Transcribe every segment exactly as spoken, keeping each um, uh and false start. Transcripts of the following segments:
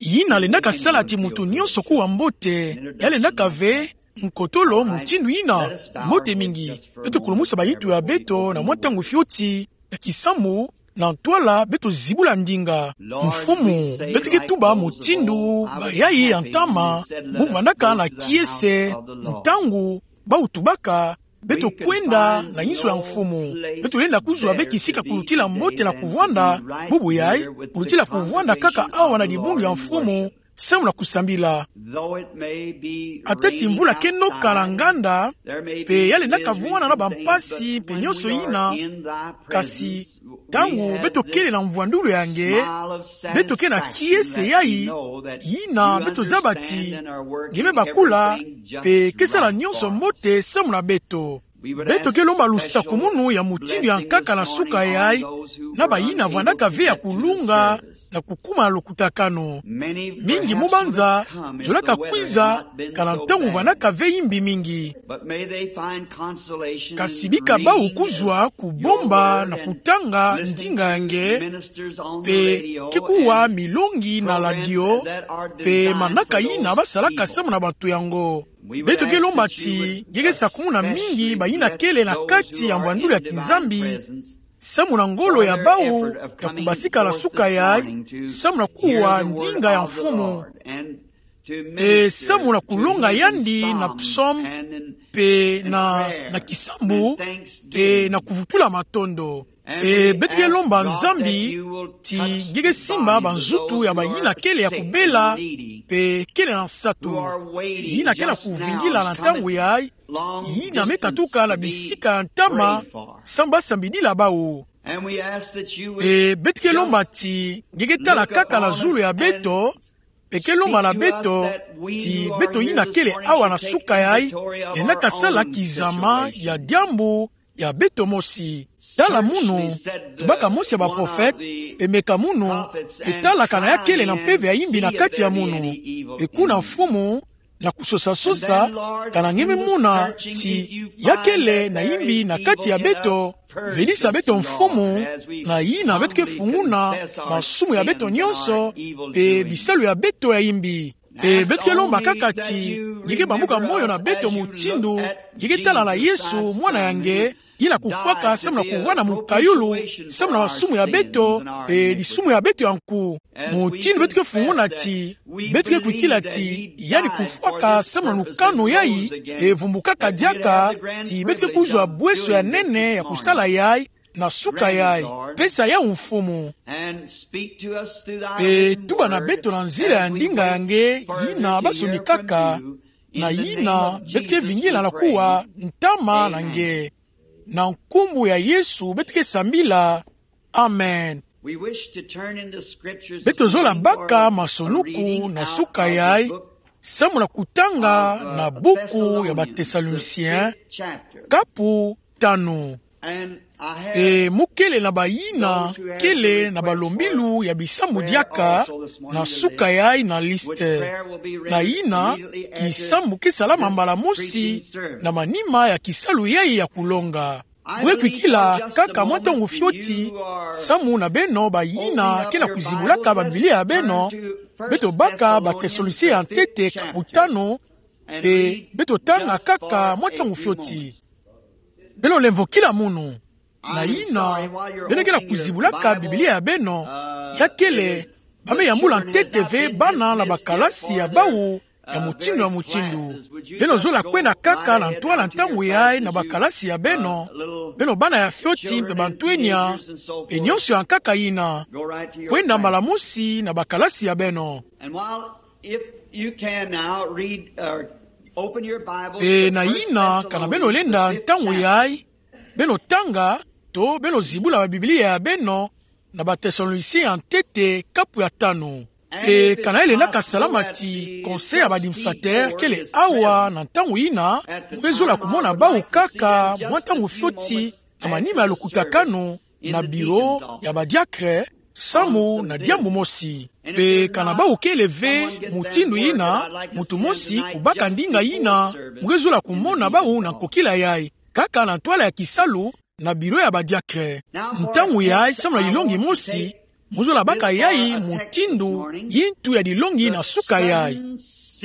yina lendaka sala ti moto nyonso kuwa mbote, ya lendaka ve nkotolo mutindu yina. Mbote mingi. Beto kulumusa ba nitu ya beto na mwa ntangu fioti, ya kisambu, na ntwala beto zibula ndinga. Mfumu, beto ke tuba mutindu bayai ya ntama mo vandaka na kiese, ntangu bawu tubaka beto kwenda na inzo ya mfumu. Beto lenda kuzwa ve kisika kulutila mbote na kuvwanda, bubu yai, kulutila kuvwanda kaka awa na dibundu ya mfumu, samu na kusambila. Ata ti mvula ke noka na nganda, mpe ya lendaka vwanda na bampasi mpe nyonso yina, kasi ntangu beto kele na mvwandulu ya nge, beto ke na kiese yai, yina beto zaba ti nge me bakula, mpe ke sala nyonso mbote samu na beto. Beto ke lomba lusakumunu ya mutindu ya nkaka na suka yai, na bayina vwandaka ve ya kulunga na kukuma lukutakanu. Mingi mu banza zolaka kwiza, kana ntangu vwandaka ve imbi mingi. Kasi bika bawu kuzwa kubomba na kutanga ndinga ya nge, mpe ke kuwa milongi na radio, mpe manaka yina basalaka samu na bato yango. Beto ke lomba ti nge ke sakumuna mingi bayina kele na kati ya mvwandulu ya kinzambi, samu na ngolo ya bawu ya kubasika na suka yai, samu na kuwa ndinga ya mfumu, mpe samu na kulonga yandi na psaume, mpe na, na kisambu, mpe na kuvutula matondo. Mpe beto ke lomba Nzambi ti nge ke simba banzutu ya bayina kele ya kubela, mpe kele na nsatu, yina ke na kuvingila na ntangu yai, yina me katuka na bisika ya ntama, samu basambidila bawu. Mpe beto ke lomba ti nge ke tala kaka na zulu ya beto, mpe ke lomba na beto ti beto yina kele awa na suka yai, lendaka sala kizama ya diambu ya beto mosi. Tala munu, tubaka mosi ya baprofete, mpe meka munu, mpe tala kana ya kele na mpeve ya imbi na kati ya munu. Mpe kuna mfumu, na kusosasosa, kana nge me mona ti ya kele na imbi na kati ya beto, venisa beto mfumu, na yina beto ke funguna masumu ya beto nyonso, mpe bisalu ya beto ya imbi. Mpe beto ke lomba kaka ti nge ke bambuka moyo na beto mutindu nge ke tala na Yesu, mwana ya nge, yina kufwaka samu na kuvwanda mukayulu samu na masumu ya beto, mpe disumu ya beto ya nku. Mutindu beto ke funguna ti beto ke kwikila ti yandi kufwaka samu na lukanu yai, mpe vumbukaka diaka ti beto ke kuzwa bweso ya nene ya kusala yai, na suka yai. Pesa yawu, Mfumu. Mpe tuba na beto na nzila ya ndinga ya nge yina basonikaka, na yina beto ke vingila na kuwa ntama na nge. Na nkumbu ya Yesu beto ke sambila. Amen. Beto zola baka masonuku na suka yai, samu na kutanga na buku ya Bathessaloniciens, kapu tanu. Mpe mo kele na bayina kele na balombilu ya bisambu diaka na suka yai na liste. Na yina, kisambu ke salama mbala mosi na manima ya kisalu yai ya kulonga. Mo ke kwikila kaka mwa ntangu fioti, samu na beno bayina ke na kuzibulaka Babiblia ya beno, beto baka Bathessaloniciens ya ntete kapu tanu, mpe beto tanga kaka mwa ntangu fioti. Beno lemvokila munu. Na yina, beno ke na kuzibulaka Babiblia ya beno, ya kele, ba me yambula ntete ve bana na bakalasi ya bawu ya mutindu na mutindu. Beno zola kwenda kaka na ntwala ntangu yai na bakalasi ya beno, beno bana ya fioti mpe bantwenia, mpe nyonso ya nkaka yina. Kwenda mbala mosi na bakalasi ya beno. If you can now read, uh, open your Bibles to First Thessalonians. Mpe na yina, kana beno lenda ntangu yai, beno tanga, to beno zibula Babiblia ya beno na Bathessaloniciens ya ntete kapu ya tanu. Mpe kana elendaka salama ti conseil ya ba administrateurs kele awa na ntangu yina, mo ke zola kumona bawu kaka mwa ntangu fioti na manima ya lukutakanu, na bureau ya badiacre, samu na diambu mosi. Mpe kana bawu kele ve mutindu yina, muntu mosi kubaka ndinga yina, mo ke zola kumona bawu na nkokila yai, kaka na ntwala ya kisalu, na bureau ya badiacre. Ntangu yai, samu na lilongi mosi, Mu zola baka yayi mutindu yintu ya dilongi na suka yayi.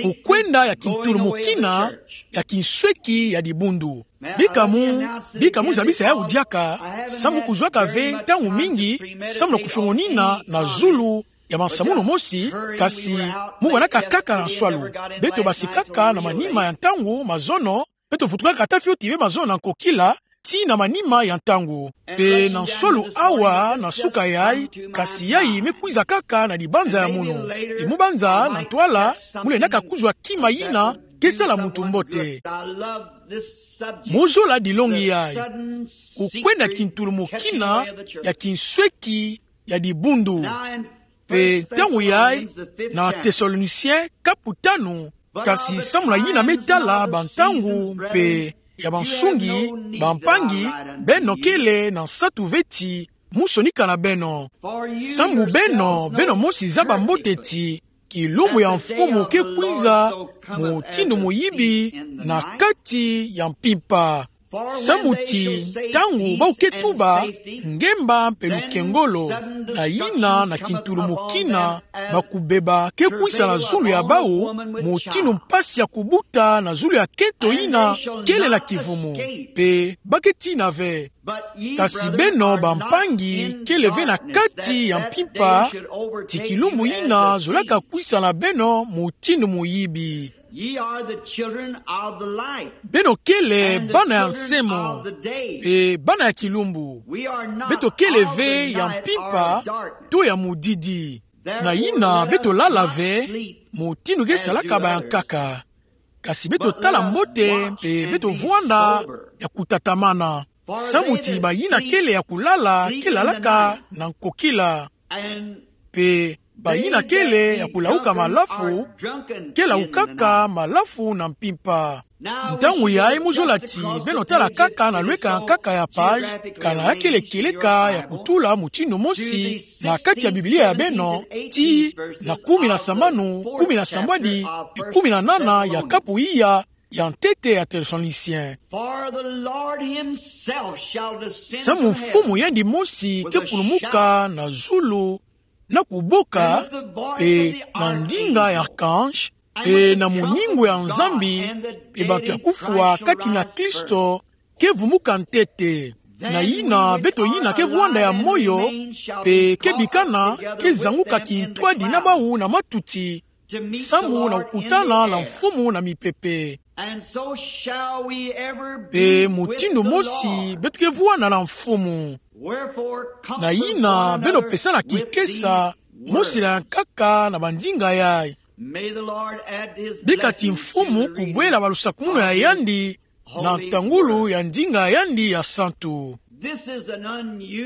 Kukwenda ya kintulumukina, ya kinsweki ya dibundu. Bika mu, bika mu zabisa yawu diaka, samu kuzwaka ve ntangu mingi, samu na kufiongonina na zulu ya masamunu mosi, kasi mu bwanaka kaka na nswalu. Beto basi kaka na manima ya ntangu, mazono, beto vutukaka ata fioti ve mazono na nkokila, tii na manima ya ntangu. Mpe na nswalu awa na suka yayi, kasi yayi me kwiza kaka na dibanza ya munu. Mpe mu banza na ntwala, mu lendaka kuzwa kima yina ke sala muntu mbote. Mu zola dilongi yayi. Kukwenda kintulumukina, ya kinsweki ya dibundu. Mpe ntangu yayi, na Thessaloniciens kapu tanu, kasi samu na yina me tala bantangu mpe ya bansungi, bampangi, beno kele na nsatu ve ti mu sonika na beno. Samu beno, beno mosi zaba mbote ti kilumbu ya Mfumu ke kwiza mutindu muyibi na kati ya mpimpa. Samu ti ntangu bawu ke tuba ngemba mpe lukengolo, na yina na kintulumukina, bakubeba ke kwisa na zulu ya bawu mutindu mpasi ya kubuta na zulu ya kento yina kele na kivumu. Mpe ba ke tina ve. Kasi beno bampangi, kele ve na kati ya mpimpa, ti kilumbu yina zolaka kwisa na beno mutindu muyibi. Ye are the children of the light. Beno kele bana ya nsemo, mpe bana ya kilumbu. Beto kele ve ya mpimpa to ya mudidi. Na yina beto lala ve, mutindu ke salaka bayankaka. Kasi beto tala mbote, mpe beto vwanda ya kutatamana. Samu ti bayina kele ya kulala, ke lalaka na nkokila. Mpe bayina kele ya kulauka malafu, ke laukaka malafu na mpimpa. Ntangu yayi mu zola ti beno tala kaka na lweka nkaka ya page, kana ya kele kieleka ya kutula mutindu mosi na kati ya Biblia ya beno, tii na kumi na sambanu, kumi na sambwadi, kumi na nana ya kapu iya ya ntete ya Thessaloniciens. For the Lord himself shall descend from heaven. Samu Mfumu yandi mosi ke kulumuka na zulu, na kuboka, mpe na ndinga ya archange, mpe na muningu ya Nzambi, mpe bantu ya kufwa kati na Kristo ke vumuka ntete. Na yina beto yina ke vwanda ya moyo, mpe ke bikana, ke zanguka kintwadi na bawu na matuti, samu na kukutana na Mfumu na mipepe. Mpe mutindu mosi beto ke vwanda na Mfumu. Na yina beno pesana kikesa, mosi na yankaka na bandinga yayi. Bika ti Mfumu kubwela balusakumunu ya yandi na ntangulu ya ndinga ya yandi ya santu.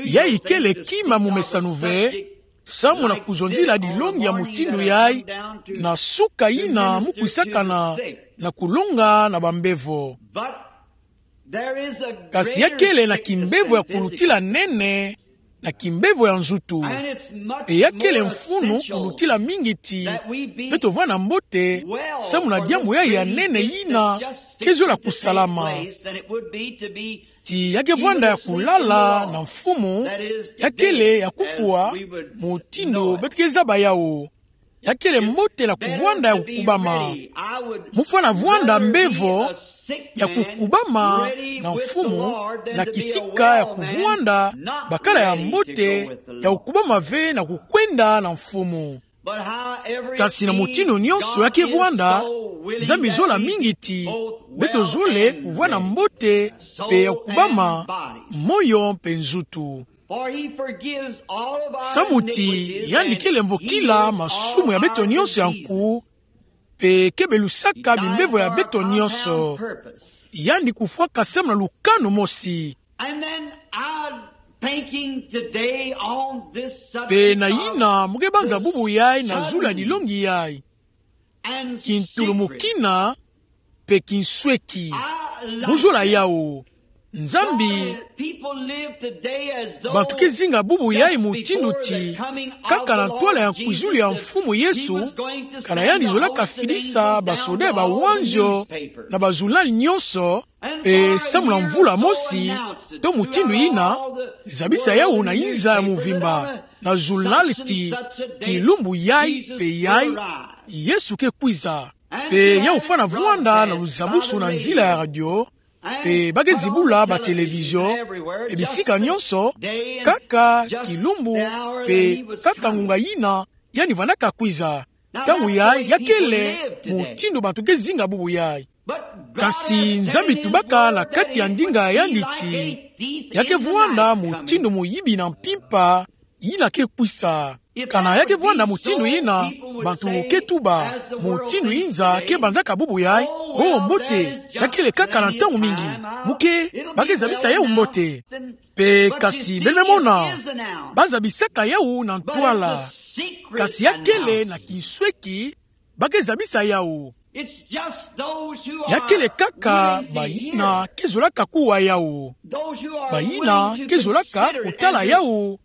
Yayi kele kima mumesanu ve, samu na kuzonzila dilongi ya mutindu yayi, na suka yina mu kwisakana na kulonga na bambevo. Kasi ya kele na kimbevo ya kulutila nene na kimbevo ya nzutu. Mpe ya kele mfunu kulutila mingi ti beto vwanda mbote, samu na diambu yayi ya nene yina ke zola kusalama. Ti ya ke vwanda ya kulala na Mfumu, ya kele ya kufwa, mutindu beto ke zaba yawu. Ya kele mbote na kuvwanda ya kukubama. Mu fwana vwanda mbevo ya kukubama na Mfumu, na kisika ya kuvwanda bakala ya mbote ya kukubama ve na kukwenda na Mfumu. Kasi na mutindu nyonso ya ke vwanda, Nzambi zola mingi ti beto zole kuvwanda mbote mpe ya kukubama, moyo mpe nzutu. Samu ti yandi kele mvokila masumu ya beto nyonso ya nku, mpe ke belusaka bimbevo ya beto nyonso. Yandi kufwaka samu na lukanu mosi. Mpe na yina mu ke banza bubu yayi na zulu ya dilongi yayi. Kintulumukina mpe kinsweki. Mu zola yawu. Nzambi, bantu ke zinga bubu yai mutindu ti, kaka na ntwala ya nkwizulu ya Mfumu Yesu, ka na yandi zolaka fidisa basoda ya bawanzio na bazulunali nyonso, mpe samu na mvula mosi to mutindu yina, zabisa yawu na inza ya mvimba na zulunali ti, kilumbu yai mpe yai, Yesu ke kwiza. Mpe yawu fwana vwanda na luzabusu na nzila ya radio, mpe ba ke zibula batelevizio, mpe bisika nyonso, kaka kilumbu, mpe kaka ngunga yina yandi vwandaka kwiza. Ntangu yai ya kele mutindu bantu ke zinga bubu yai. Kasi Nzambi tubaka na kati ya ndinga ya yandi ti, ya ke vwanda mutindu muyibi na mpimpa yina ke kwisa. Kana ya ke vwanda mutindu yina, bantu ke tuba, mutindu inza ke banzaka bubu yai, oh mbote, ya kele kaka na ntangu mingi. Muke, ba ke zabisa yawu mbote. Mpe kasi beno me mona, ba zabisaka yawu na ntwala. Kasi ya kele na kinsweki, ba ke zabisa yawu. Ya kele kaka bayina ke zolaka kuwa yawu. Bayina ke zolaka kutala yawu.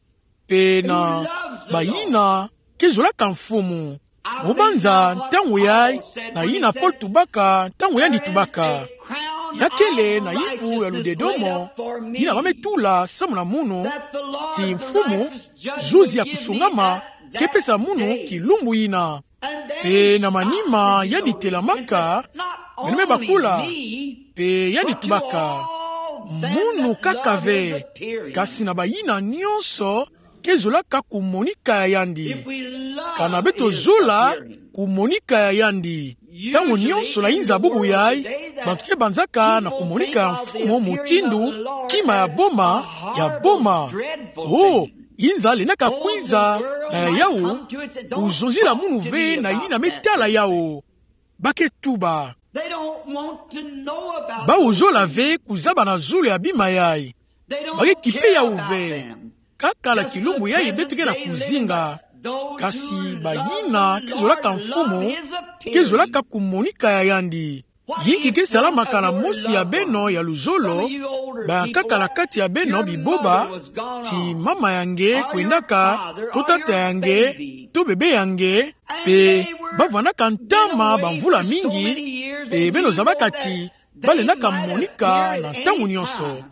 Mpe na bayina ke zolaka Mfumu. Mu banza ntangu yai, na yina Paul tubaka, ntangu yandi tubaka. Ya kele na ipu ya ludedomo, yina ba me tula samu na munu, ti Mfumu, zuzi ya kusungama, ke pesa munu kilumbu yina. Mpe na manima yandi telamaka, beno me bakula, mpe yandi tubaka, munu kaka ve, kasi na bayina nyonso ke zolaka kumonika ya yandi. Kana beto zola kumonika ya yandi, ntangu nyonso na inza bubu yai, bantu ke banzaka na kumonika ya Mfumu mutindu kima ya boma, ya boma. Oh, inza lendaka kwiza, na ya yawu, kuzonzila munu ve na yina me tala yawu. Ba ke tuba. Bawu zola ve kuzaba na zulu ya bima yai. Ba ke kipe yawu ve. Kaka na kilumbu yai beto ke na kuzinga. Kasi bayina ke zolaka Mfumu, ke zolaka kumonika ya yandi. Yinki ke salamaka na mosi ya beno ya luzolo, bayankaka na kati ya beno biboba, ti mama ya nge kwendaka, to tata ya nge, to bebe ya nge, mpe ba vwandaka ntama bamvula mingi, mpe beno zabaka ti, ba lendaka monika na ntangu nyonso.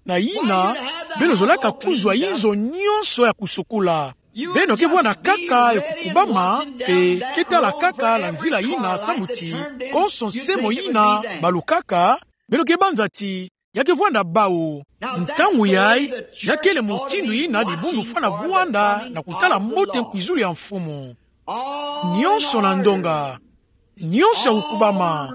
Na yina, beno zolaka kuzwa inzo nyonso ya kusokola. Beno ke vwanda kaka ya kukubama, mpe ke tala kaka na nzila yina samu ti, konso nsemo yina balukaka, beno ke banza ti, ya ke vwanda bawu. Ntangu yai, ya kele mutindu yina dibundu fwana vwanda na kutala mbote nkwizulu ya Mfumu. Nyonso na ndonga. Nyonso ya kukubama.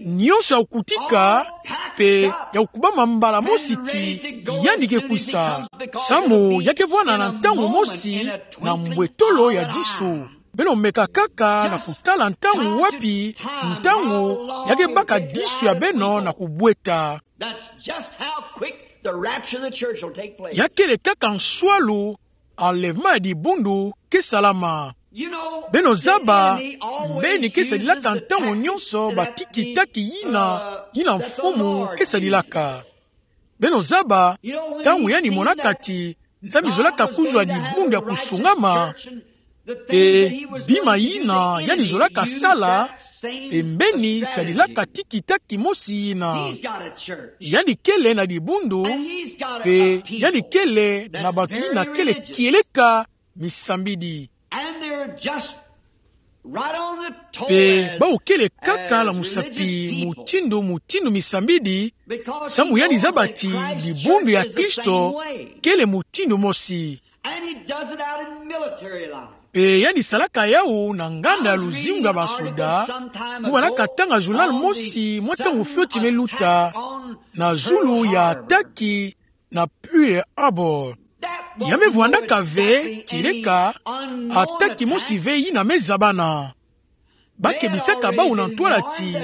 Nyonso ya kukutika, mpe ya kukubama mbala mosi ti, yandi ke kwisa. Samu ya ke vwanda na ntangu mosi, na mbwetolo ya disu. Beno meka kaka na kutala ntangu wapi, ntangu ya ke baka disu ya beno na kubweta. That's just how quick the rapture of the church will take place. Ya kele kaka nswalu, enlèvement ya dibundu ke salama. You know, beno zaba, the enemy always mbeni ke sadilaka ntangu nyonso batikitaki yina, yina Mfumu ke sadilaka. Beno zaba, ntangu yandi monaka ti, Nzambi zolaka kuzwa dibundu ya kusungama, mpe bima yina yandi zolaka sala, mpe mbeni sadilaka tikitaki mosi yina. Yandi kele na dibundu, mpe yandi kele na bantu yina kele kieleka misambidi. Mpe bawu kele kaka na musapi mutindu, mutindu misambidi, samu yandi zaba ti dibundu ya Kristo kele mutindu mosi. Mpe yandi salaka yawu na nganda ya luzingu ya basoda, mu bana katanga journal mosi mwa ntangu fioti me luta, na zulu ya attaque na Pearl Harbor. Ya me vwandaka ve kieleka attaque mosi ve yina me zabana. Ba kebisaka bawu na ntwala ti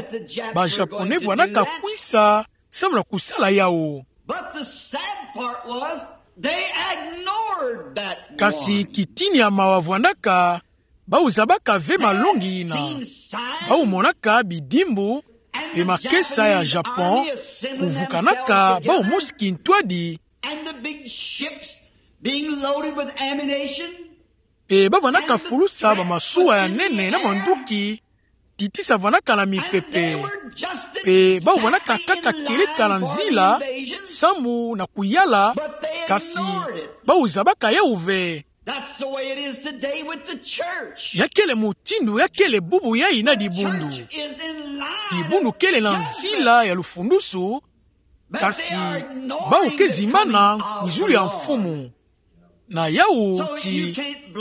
ba Japonais vwandaka kwisa samu na kusala yawu. But the sad part was, they ignored that warning. Kasi kitini ya mawa vwandaka, bawu zabaka ve malongi yina. Bawu monaka bidimbu, Pe makesa ya Japon kuvukanaka bawu mosi kintwadi. And the big ships being loaded with ammunition. Pe bavwanaka fulusa bamasuwa ya nene na manduki, titisa vwanaka na mipepe. Pe bawu vwanaka kaka kieleka na nzila samu na kuyala, kasi bawu zabaka yawu ve. That's the way it is today with the church. Ya kele mutindu ya kele bubu yayi na dibundu. Church is in line. Dibundu kele na nzila ya lufundusu, kasi bawu ke zimbana kwizulu ya Mfumu. Na yawu ti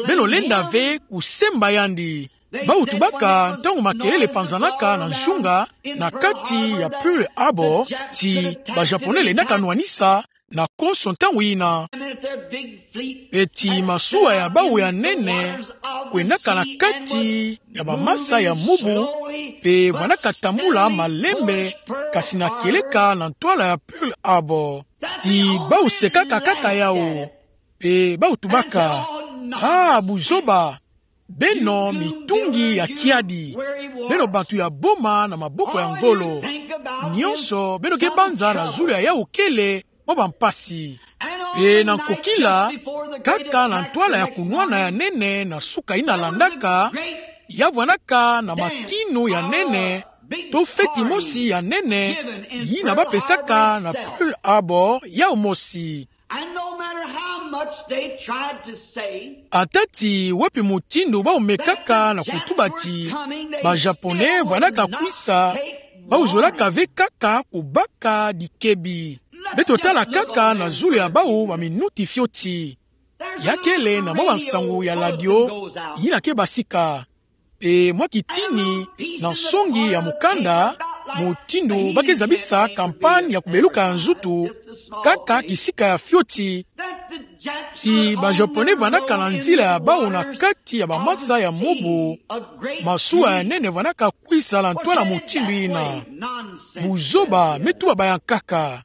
beno lenda ve kusemba yandi. Bawu tubaka ntangu makelele panzanaka na nzunga na kati ya Pearl Harbor, ti ba Japonais lendaka nwanisa na konso ntangu yina. Pe ti masuwa ya bawu ya nene kwendaka na kati ya bamasa ya mubu, pe vwanaka tambula malembe, kasi na kieleka na ntwala ya Pearl Harbor. Ti bawu sekaka kaka yawu. Pe bawu tubaka: Ah, buzoba! Beno mitungi ya kiadi, beno bantu ya boma na maboko ya ngolo. Nyonso beno ke banza na zulu ya yawu kele mwa bampasi. Pe na nkokila, kaka na ntwala ya kunwana ya nene na suka yina landaka, ya vwanaka na makinu ya nene, to feti mosi ya nene yina bapesaka na Pearl Harbor yawu mosi. And no matter how much they tried to say, ata ti wapi mutindu bawu mekaka na kutuba ti ba Japonais vwanaka kwisa, bawu zolaka ve kaka kubaka dikebi. Beto tala kaka na zulu ya bawu ba minuti fioti. Ya kele na mwa bansangu ya radio yina ke basika. Pe mwa kitini na nsongi ya mukanda, mutindu ba ke zabisa campagne ya kubeluka ya nzutu, kaka kisika ya fioti, ti ba Japonais vwanaka na nzila ya bawu na kati ya bamasa ya mubu, masuwa ya nene vwanaka kwisa na ntwala mutindu yina. Buzoba, me tuba ba yankaka.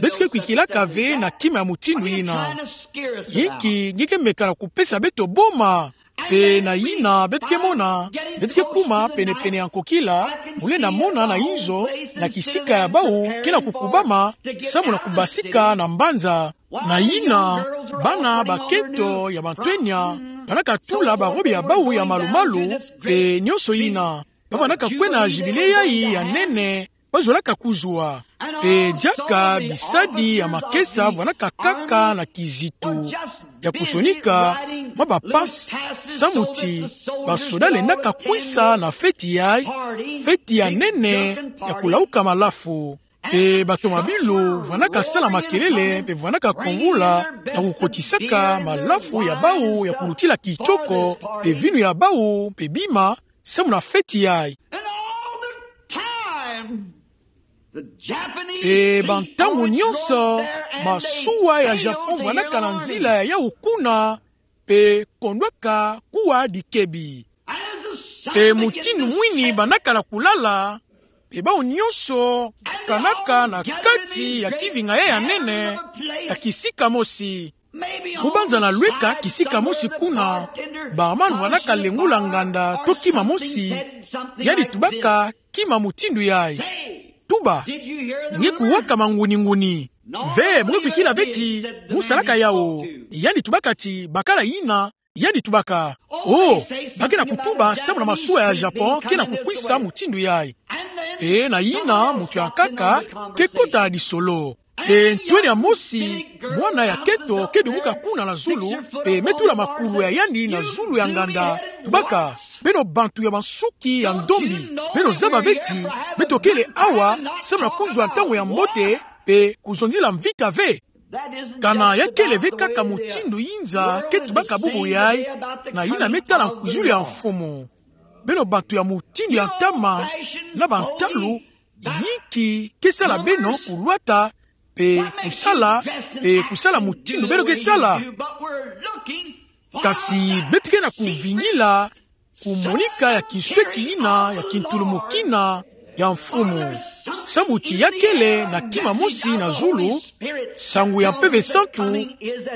Beto ke kwikilaka ve na kima ya mutindu yina. Yinki nge ke meka na kupesa beto boma. Pe na yina beto ke mona, beto ke kuma penepene ya nkokila, mu lenda mona na inzo na kisika ya bawu ke na kukubama samu na kubasika na mbanza. Na yina bana bakento ya bantwenya ba na katula barobe ya bawu ya malumalu, pe nyonso yina. Ba vwanaka kwena jibile yayi ya nene ba zolaka kuzwa. Pe diaka bisadi ya makesa vwanaka kaka na kizito ya kusonika mwa bapasi, samu ti basoda lendaka kwisa na feti yayi, feti ya nene ya kulawuka malafu. Pe batomabilu vwanaka sala makelele, pe vwanaka kongula na kukotisaka malafu ya bawu ya kulutila kitoko, pe vinu ya bawu, pe bima, samu na feti yayi. And all the time, the Japanese fleet going north there, and they, pe bantangu nyonso, masuwa ya Japon vwanaka na nzila ya yawu kuna, pe kondwaka kuwa dikebi. And as the sun begins to set, pe mutindu mwini ba na kala kulala, pe bawu nyonso kanaka na kati ya kivinga ya nene, ya kisika mosi. Kubanza na lweka kisika mosi kuna, barman vwanaka lengula nganda to kima mosi, yandi tubaka kima mutindu yayi. Tuba: Nge kuwaka manguni-nguni? Ve, mu nge kwikila ve ti mu salaka yawu? Yandi tubaka ti: Bakala yina. Yandi tubaka: Oh, ba ke na kutuba samu na masuwa ya Japon ke na kukwisa mutindu yayi. Pe na yina muntu ya nkaka ke kota na lisolo. Pe ntwenia mosi, mwana ya kento ke dumuka kuna na zulu, pe me tula makulu ya yandi na zulu ya nganda. Tubaka: Beno bantu ya bansuki ya ndombi, beno zaba ve ti beto kele awa samu na kuzwa ntangu ya mbote, pe kuzonzila mvita ve? Kana ya kele ve kaka mutindu yinza ke tubaka bubu yayi, na yina me tala nkwizulu ya mfumu? Beno bantu ya mutindu ya ntama na bantalu, yinki ke sala beno kulwata, pe kusala, pe kusala mutindu beno ke sala? Kasi beto ke na kuvingila kumonika ya kinsweki yina ya kintulumukina ya mfumu. Samu ti ya kele na kima mosi na zulu, nsangu ya Mpeve Santu,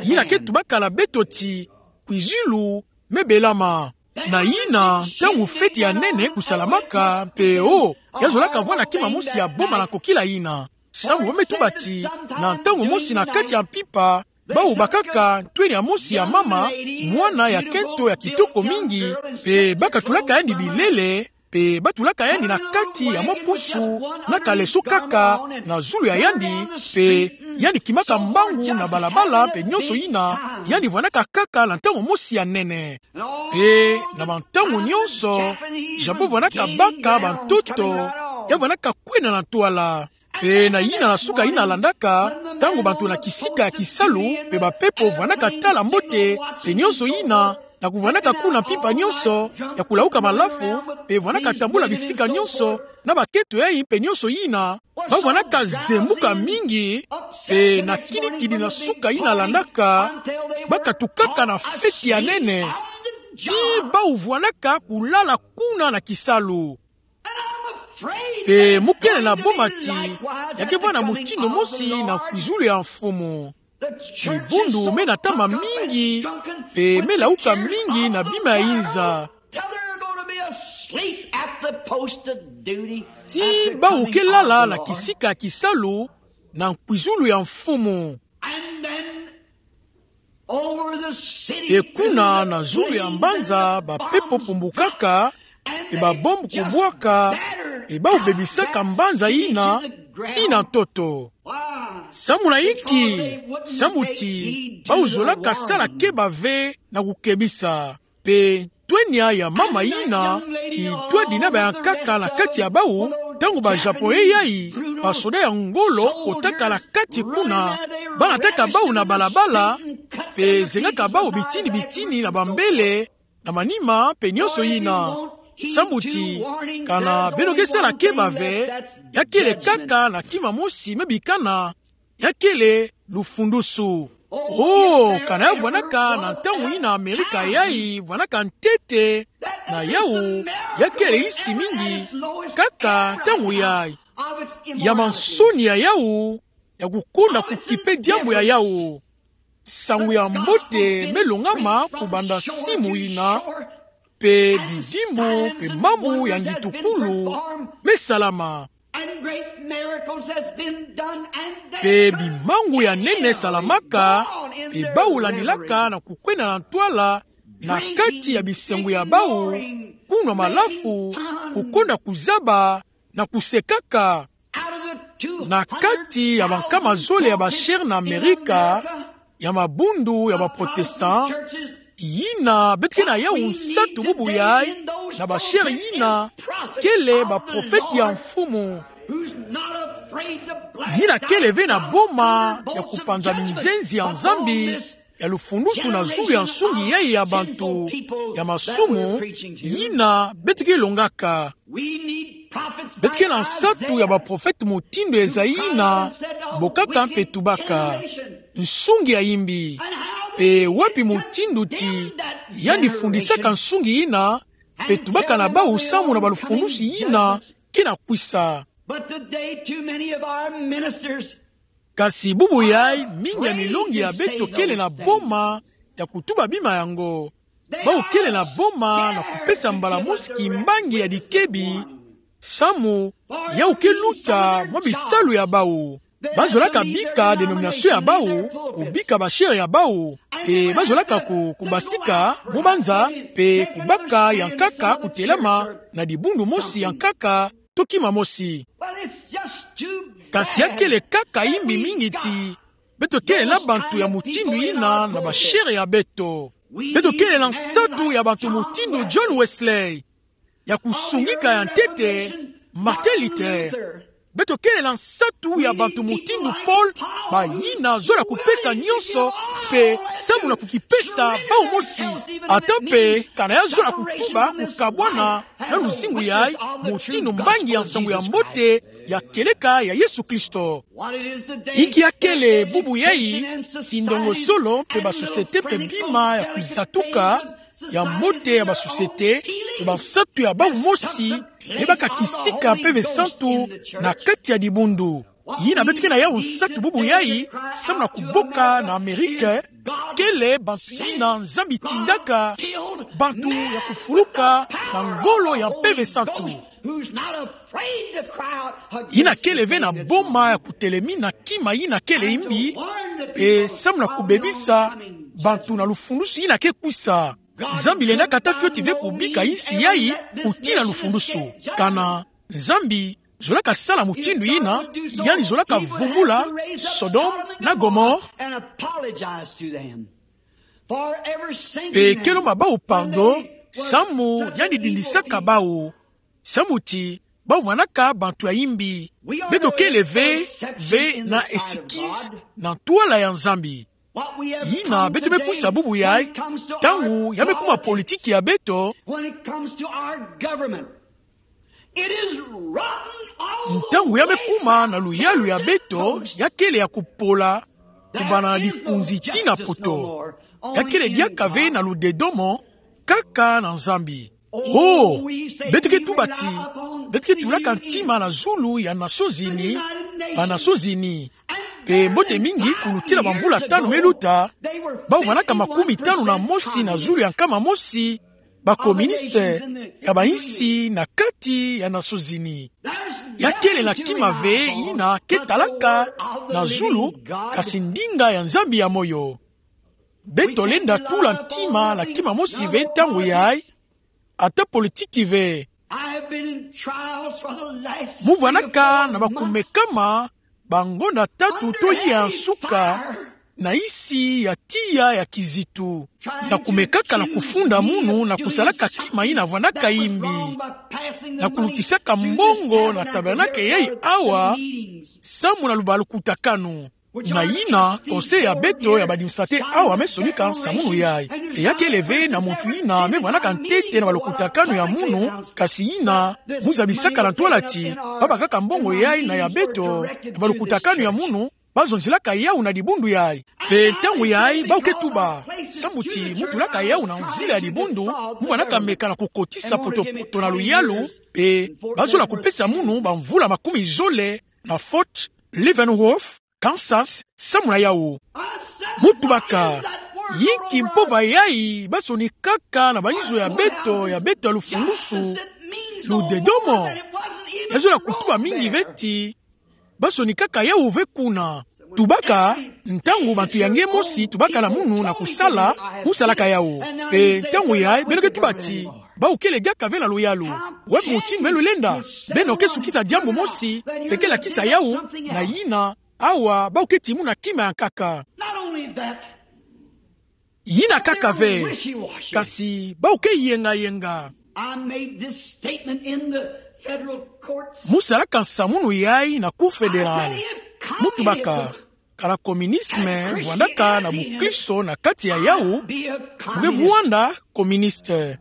yina ke tubaka na beto ti kwizulu me belama. Na yina, ntangu feti ya nene kusalamaka, mpe o, ya zolaka vwanda kima mosi ya boma na kokila yina. Samu bamituba ti, na ntangu mosi na kati ya mpimpa, bawu bakaka ntwenia mosi ya mama, mwana ya kento ya kitoko mingi, mpe bakatulaka yandi bilele, mpe batulaka yandi na kati ya mwa pusu, na kaleso kaka na zulu ya yandi, mpe yandi kimaka mbangu na balabala, mpe nyonso yina, yandi vwandaka kaka na ntangu mosi ya nene. Mpe na bantangu nyonso, Japon vwandaka baka bantoto, ya vwandaka kwenda na ntwala. Mpe na yina na suka yina landaka, ntangu bantu na kisika ya kisalu, mpe bampepo vwandaka tala mbote, mpe nyonso yina, na kuvwandaka kuna mpimpa nyonso, ya kulauka malafu, mpe vwandaka tambula bisika nyonso, na bakento yayi mpe nyonso yina, bavwandaka zembuka mingi, mpe na kidikidi na suka yina landaka, bakatukaka na feti ya nene, ti bawu vwandaka kulala kuna na kisalu. Mpe mukele na boma ti, ya ke vwanda mutindu mosi na nkwizulu ya mfumu. Dibundu me natama mingi, mpe me lauka mingi na bima ya inza. Ti bawu ke lala na kisika ya kisalu, na nkwizulu ya mfumu. Mpe kuna na zulu ya mbanza, bampepo pumbukaka, mpe babombe kubwaka, mpe bawu bebisaka mbanza yina, tii na ntoto. Samu na inki? Samu ti, bawu zolaka sala keba ve na kukebisa. Mpe ntwenia ya mama yina, kitwadi na bayankaka na kati ya bawu, ntangu ba Japon yayi, basoda ya ngolo kotaka na kati kuna, banataka bawu na balabala, mpe zengaka bawu bitini bitini na bambele, na manima mpe nyonso yina. Samu ti, kana beno ke sala keba ve, ya kele kaka na kima mosi me bikana, ya kele lufundusu. O, kana ya vwandaka na ntangu yina Amerika yayi vwandaka ntete, na yawu, ya kele insi mingi, kaka ntangu yayi. Ya mansoni ya yawu, ya kukonda kukipe diambu ya yawu. Nsangu ya mbote me longama kubanda simu yina, mpe bidimbu, mpe mambu ya ngitukulu me salama. Mpe bimangu ya nene salamaka, mpe bawu landilaka na kukwenda na ntwala, na kati ya bisengo ya bawu, kunwa malafu, kukonda kuzaba, na kusekaka. Na kati ya bankama zole ya ba chaire na Amerika, ya mabundu ya ba protestant, yina beto ke na yawu nsatu bubu yayi, na ba chaire yina kele baprofete ya mfumu. Yina kele ve na boma ya kupanza binzenzi ya Nzambi, ya lufundusu na zulu ya nsungi yayi ya bantu ya masumu, yina beto ke longaka. Beto ke na nsatu ya baprofete mutindu Ezayi yina bokaka mpe tubaka: Nsungi ya imbi. Mpe wapi mutindu ti yandi fundisaka nsungi yina, mpe tubaka na bawu samu na balufundusu yina ke na kwisa. But today, too many of our ministers Kasi bubu yayi, mingi ya milongi ya beto kele na boma ya kutuba bima yango. Bawu kele na boma na kupesa mbala mosi kimbangi ya dikebi, samu yawu ke luta mwa bisalu ya bawu. Bazolaka bika dénomination ya bawu, kubika ba chaire ya bawu, mpe bazolaka ku-, kubasika mu banza, mpe kubaka ya nkaka kutelama na dibundu mosi ya nkaka, to kima mosi. But it's just too bad. Kasi ya kele kaka imbi mingi ti beto kele na bantu ya mutindu yina na ba chaire ya beto. Beto kele na nsatu ya bantu mutindu John Wesley, ya kusungika ya ntete, Martin Luther. Beto kele na nsatu ya bantu mutindu Paul, bayina zola kupesa nyonso, mpe samu na kukipesa bawu mosi. Ata mpe kana ya zola kutuba kukabwana na luzingu yayi, mutindu mbangi ya nsangu ya mbote ya kieleka ya Yesu Kristo. Inki ya kele bubu yayi, ti ndongosolo mpe ba société mpe bima ya kuzatuka ya mbote ya ba société, mpe bansatu ya bawu mosi, mpe bakaka kisika mpeve santu na kati ya dibundu. Yina beto ke na yawu nsatu bubu yayi, samu na kuboka na Amerika, kele bantu yina Nzambi tindaka bantu ya kufuluka na ngolo ya Mpeve Santu. Yina kele ve na boma ya kutelemina kima yina kele mbi, mpe samu na kubebisa bantu na lufundusu yina ke kwisa. Nzambi lendaka ata fioti ve kubika insi yayi kutina lufundusu. Kana Nzambi zolaka sala mutindu yina, yandi zolaka vumbula Sodome na Gomorrhe. Mpe ke lomba bawu pardon samu yandi dindisaka bawu, samu ti bawu vwandaka bantu ya imbi. Beto kele ve, ve na excuses na ntwala ya Nzambi. Yina beto me kwisa bubu yayi, ntangu ya me kuma politiki ya beto, ntangu ya me kuma na luyalu ya beto, ya kele ya kupola, kubanda na likunzi tii na poto. Ya kele diaka ve na ludedomo, kaka na Nzambi. Oh, beto ke tuba ti, beto ke tulaka ntima na zulu ya Nations Unies, ba Nations Unies. Mpe mbote mingi kulutila bamvula tanu me luta, bawu vwandaka makumi tanu na mosi na zulu ya nkama mosi, ba communistes ya bainsi na kati ya Nations Unies. Ya kele na kima ve yina ke talaka na zulu, kasi ndinga ya Nzambi ya moyo. Beto lenda tula ntima na kima mosi ve ntangu yayi, ata politiki ve. Mu vwandaka na bakumekama bangonda tatu to ya nsuka na insi ya tiya ya kizitu. Na kumekaka na kufunda munu na kusalaka kima yina vwandaka imbi. Na kulutisaka mbongo na tabernacle yayi awa, samu na lubalukutakanu. Na yina, conseil ya beto ya badimisa te awa me sonika nsamununu yayi. Mpe ya kele ve na muntu yina me vwandaka ntete na balukutakanu ya munu, kasi yina mu zabisaka na ntwala ti babakaka mbongo yayi na ya beto, na balukutakanu ya munu, bazonzilaka yawu na dibundu yayi. Mpe ntangu yayi, bawu ke tuba, samu ti mu tulaka yawu na nzila ya dibundu, mu vwandaka meka na kukotisa potopoto na luyalu, mpe bazola kupesa munu bamvula makumi zole na Fort Leavenworth, Kansas, samu na yawu. Mu tubaka, yinki mpova yayi basonikaka na bainzo ya beto, ya beto ya lufungusu, ludedomo? Ya zola kutuba mingi ve ti basonikaka yawu ve kuna. Tubaka, ntangu bantu ya nge mosi tubaka na munu na kusala, mu salaka yawu. Mpe ntangu yayi, beno ke tuba ti, bawu kele diaka ve na luyalu. Wapi mutindu me lulenda? Beno ke sukisa diambu mosi, mpe ke lakisa yawu, na yina, awa, bawu ke timuna kima ya nkaka. Yina kaka ve, kasi bawu ke yengayenga. Mu salaka nsamununu yayi na Cour fédérale. Mu tubaka, kana communisme vwandaka na bukristo na kati ya yawu, mu ke vwanda communiste.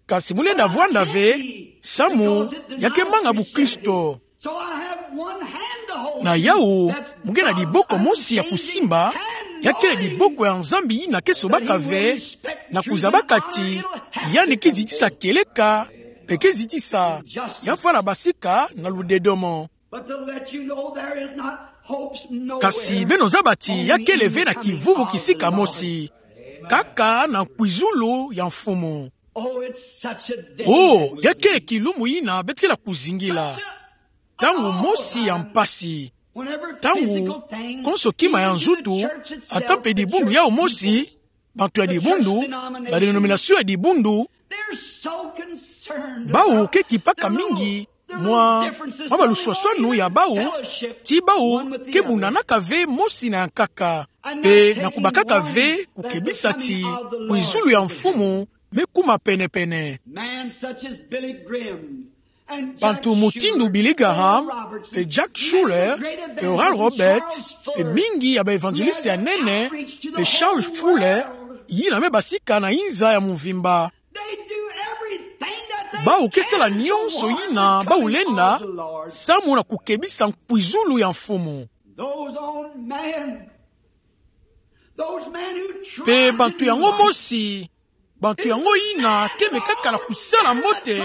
Kasi mu lenda vwanda ve, samu ya ke manga bukristo. Na yawu, mu ke na diboko mosi ya kusimba, ya kele diboko ya Nzambi yina ke sobaka ve, na kuzabaka ti yandi ke zitisa kieleka, mpe ke zitisa, ya fwana basika na ludedomo. Kasi beno zaba ti ya kele ve na kivuvu kisika mosi, kaka na nkwizulu ya Mfumu. Oh, ya kele kilumbu yina beto ke na kuzingila. Ntangu mosi ya mpasi. Ntangu konso kima ya nzutu, ata mpe dibundu yawu mosi, bantu ya dibundu, ba dénomination ya dibundu, bawu ke kipaka mingi mwa, mwa baluswaswanu ya bawu, ti bawu ke bundanaka ve mosi na ya nkaka, mpe na kubakaka ve kukebisa ti nkwizulu ya Mfumu me kuma penepene. Bantu mutindu Billy Graham, mpe Jack Shuler, mpe Oral Roberts, mpe mingi ya ba évangélistes ya nene, mpe Charles Fuller, yina me basika na inza ya mvimba. Bawu ke sala nyonso yina bawu lenda, samu na kukebisa nkwizulu ya Mfumu. Mpe bantu yango mosi, bantu yango yina ke mekaka na kusala mbote,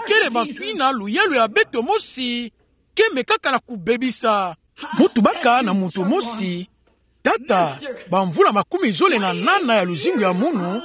kele bantu yina luyalu ya beto mosi ke mekaka na kubebisa. Mu tubaka na muntu mosi, Tata, bamvula makumi zole na nana ya luzingu ya munu,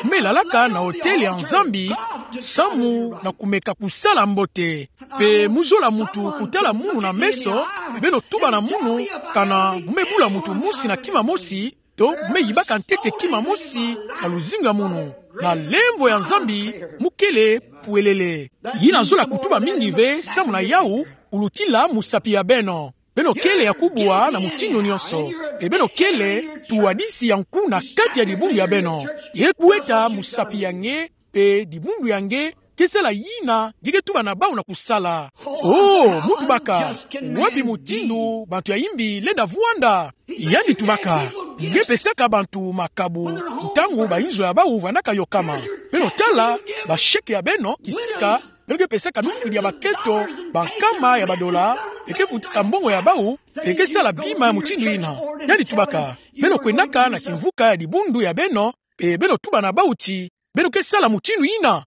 me lalaka na otele ya Nzambi, samu na kumeka kusala mbote. Pe mu zola muntu kutala munu na meso, pe beno tuba na munu, kana mu me bula muntu mosi na kima mosi, to mu me yibaka ntete kima mosi na luzingu ya munu. Na lemvo ya Nzambi, mu kele pwelele. Yina zola kutuba mingi ve, samu na yawu, kulutila musapi ya beno. Beno kele ya kubwa na mutindu nyonso. Pe beno kele tuwadisi ya nku na kati ya dibundu ya beno. Ye kueta musapi ya nge, pe dibundu ya nge, ke sala yina nge ke tuba na bawu na kusala. Oh, mu tubaka, wapi mutindu bantu ya imbi lenda vwanda? Yandi tubaka, nge pesaka bantu makabu, ntangu bayinzo ya bawu vandaka yokama. Beno tala, basheke ya beno, kisika, beno ke pesaka mifwidi ya bakento, bankama ya badola, pe ke futaka mbongo ya bawu, pe ke sala bima ya mutindu yina. Yandi tubaka, beno kwendaka na kimvuka ya dibundu ya beno, pe beno tuba na bawu ti, beno ke sala mutindu yina?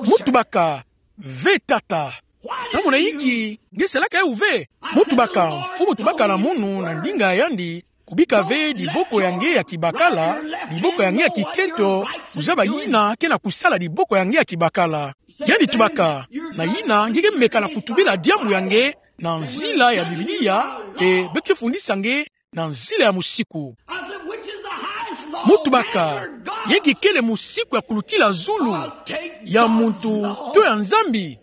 Mu tubaka, ve tata. Samu na inki nge salaka yawu ve? Mu tubaka, mfumu tubaka na munu na ndinga ya yandi, kubika ve diboko ya nge ya kibakala, diboko ya nge ya kikento, kuzaba yina ke na kusala diboko ya nge ya kibakala. Yandi tubaka, na yina nge ke meka na kutubila diambu ya nge na nzila ya Biblia, e be ke fundisa nge na nzila ya musiku. Mu tubaka, yinki kele musiku ya kulutila zulu, ya muntu to ya Nzambi?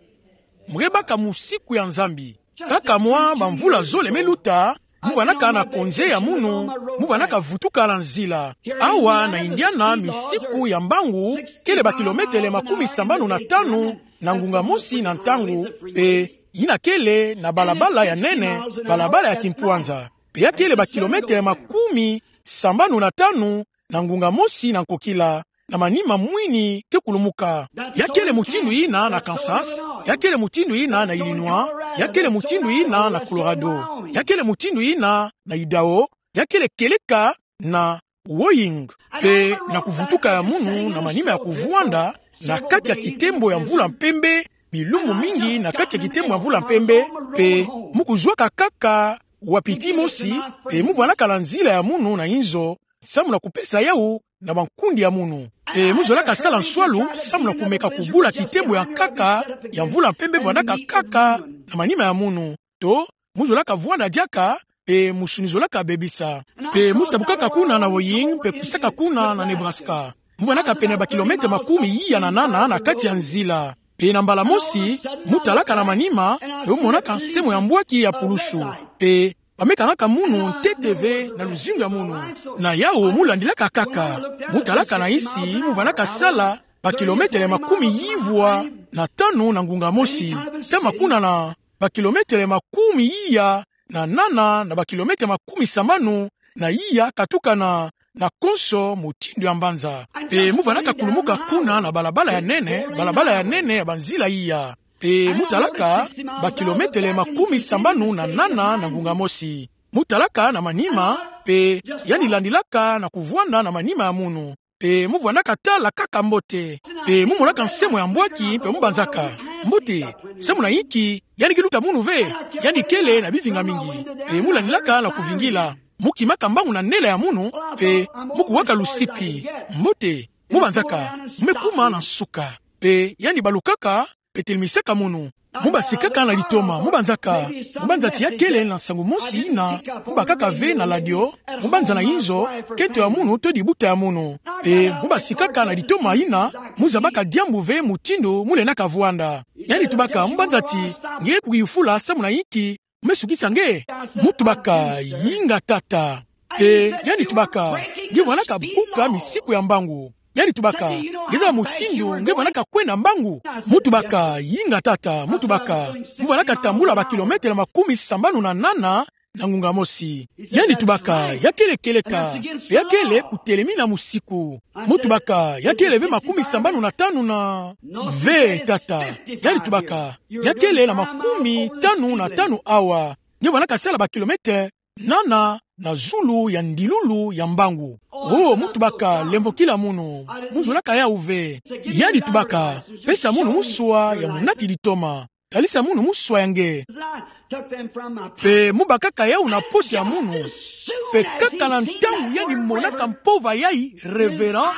Mu ke baka musiku ya Nzambi. Kaka mwa bamvula zole me luta, mu vandaka na konze ya munu, mu vandaka vutuka na nzila. Awa na Indiana, misiku ya mbangu kele bakilometele makumi sambanu na tanu na ngunga mosi na ntangu, pe yina kele na balabala ya nene, balabala ya kimpwanza. Pe ya kele bakilometele makumi sambanu na tanu na ngunga mosi na nkokila, na manima mwini ke kulumuka. Ya kele mutindu yina na Kansas, ya kele mutindu yina na Illinois, ya kele mutindu yina na Colorado, ya kele mutindu yina na Idaho, ya kele kieleka na Wyoming. Pe na kuvutuka ya munu na manima ya kuvwanda na kati ya kitembo ya mvula mpembe, bilumbu mingi na kati ya kitembo ya mvula mpembe, pe mu kuzwaka kaka wa piti mosi, pe mu vandaka na nzila ya munu na inzo, samu na kupesa yawu na bankundi ya munu. Pe mu zolaka sala nswalu, samu na kumeka kubula kitembo ya nkaka ya mvula mpembe vandaka kaka na manima ya munu. To, mu zolaka vwanda diaka, pe musuni zolaka bebisa. Pe mu sabukaka kuna na Wyoming, pe kwisaka kuna na Nebraska. Mu vandaka pene bakilometele makumi iya na nana na kati ya nzila. Pe na mbala mosi, mu talaka na manima, pe mu monaka nsemo ya mbwaki ya pulusu. Pe ba me kangaka munu ntete ve na luzingu ya munu. Na yawu mu landilaka kaka. Mu talaka na insi, mu vandaka sala bakilometele makumi yivwa na tanu na ngunga mosi. Tama kuna na bakilometele makumi iya na nana na bakilometele makumi sambanu na iya, katuka na, na konso mutindu ya mbanza. Pe mu vandaka kulumuka kuna na balabala ya nene, balabala ya nene ya banzila iya. Pe mu talaka bakilometele makumi sambanu na nana na ngunga mosi. Mu talaka na manima, pe yandi landilaka na kuvwanda na manima ya munu. Pe mu vwandaka tala kaka mbote. Pe mu monaka nsemo ya mbwaki, pe mu banzaka: Mbote, samu na inki yandi ke luta munu ve? Yandi kele na bivinga mingi. Pe mu landilaka na kuvingila. Mu kimaka mbangu na nela ya munu, pe mu kuwaka lusipi. Mbote, mu banzaka, mu me kuma na nsuka. Pe yandi balukaka, pe telemisaka munu. Mu basikaka na litoma, mu banzaka. Mu banza ti ya kele na nsangu mosi yina mu bakaka ve na ladio, mu banza na inzo, kento ya munu to dibuta ya munu. Pe mu basikaka na litoma yina mu zabaka diambu ve mutindu mu lendaka vwanda. Yandi tubaka, mu banza ti nge kuyufula samu na inki mu me sukisa nge? Mu tubaka, yinga tata. Pe yandi tubaka, nge vwandaka buka misiku ya mbangu. Yandi tubaka, nge zaba mutindu nge vwandaka kwenda mbangu? Mu tubaka, yinga tata. Mu tubaka, mu vwandaka tambula bakilometele makumi sambanu na nana na ngunga mosi. Yandi tubaka, ya kele kieleka, pe ya kele kutelemina musiku. Mu tubaka, ya kele ve makumi sambanu na tanu na... Ve tata. Yandi tubaka, ya kele na makumi tanu na tanu awa. Nge vwandaka sala bakilometele nana na zulu ya ndilulu ya mbangu. Oh, mu tubaka, lemvokila munu. Mu zolaka yawu ve. Yandi tubaka, pesa munu muswa ya munati litoma. kalisa munu muswa ya nge. Pe mu bakaka yawu na posi ya munu. Pe kaka na ntangu yandi monaka mpova yayi, révérend,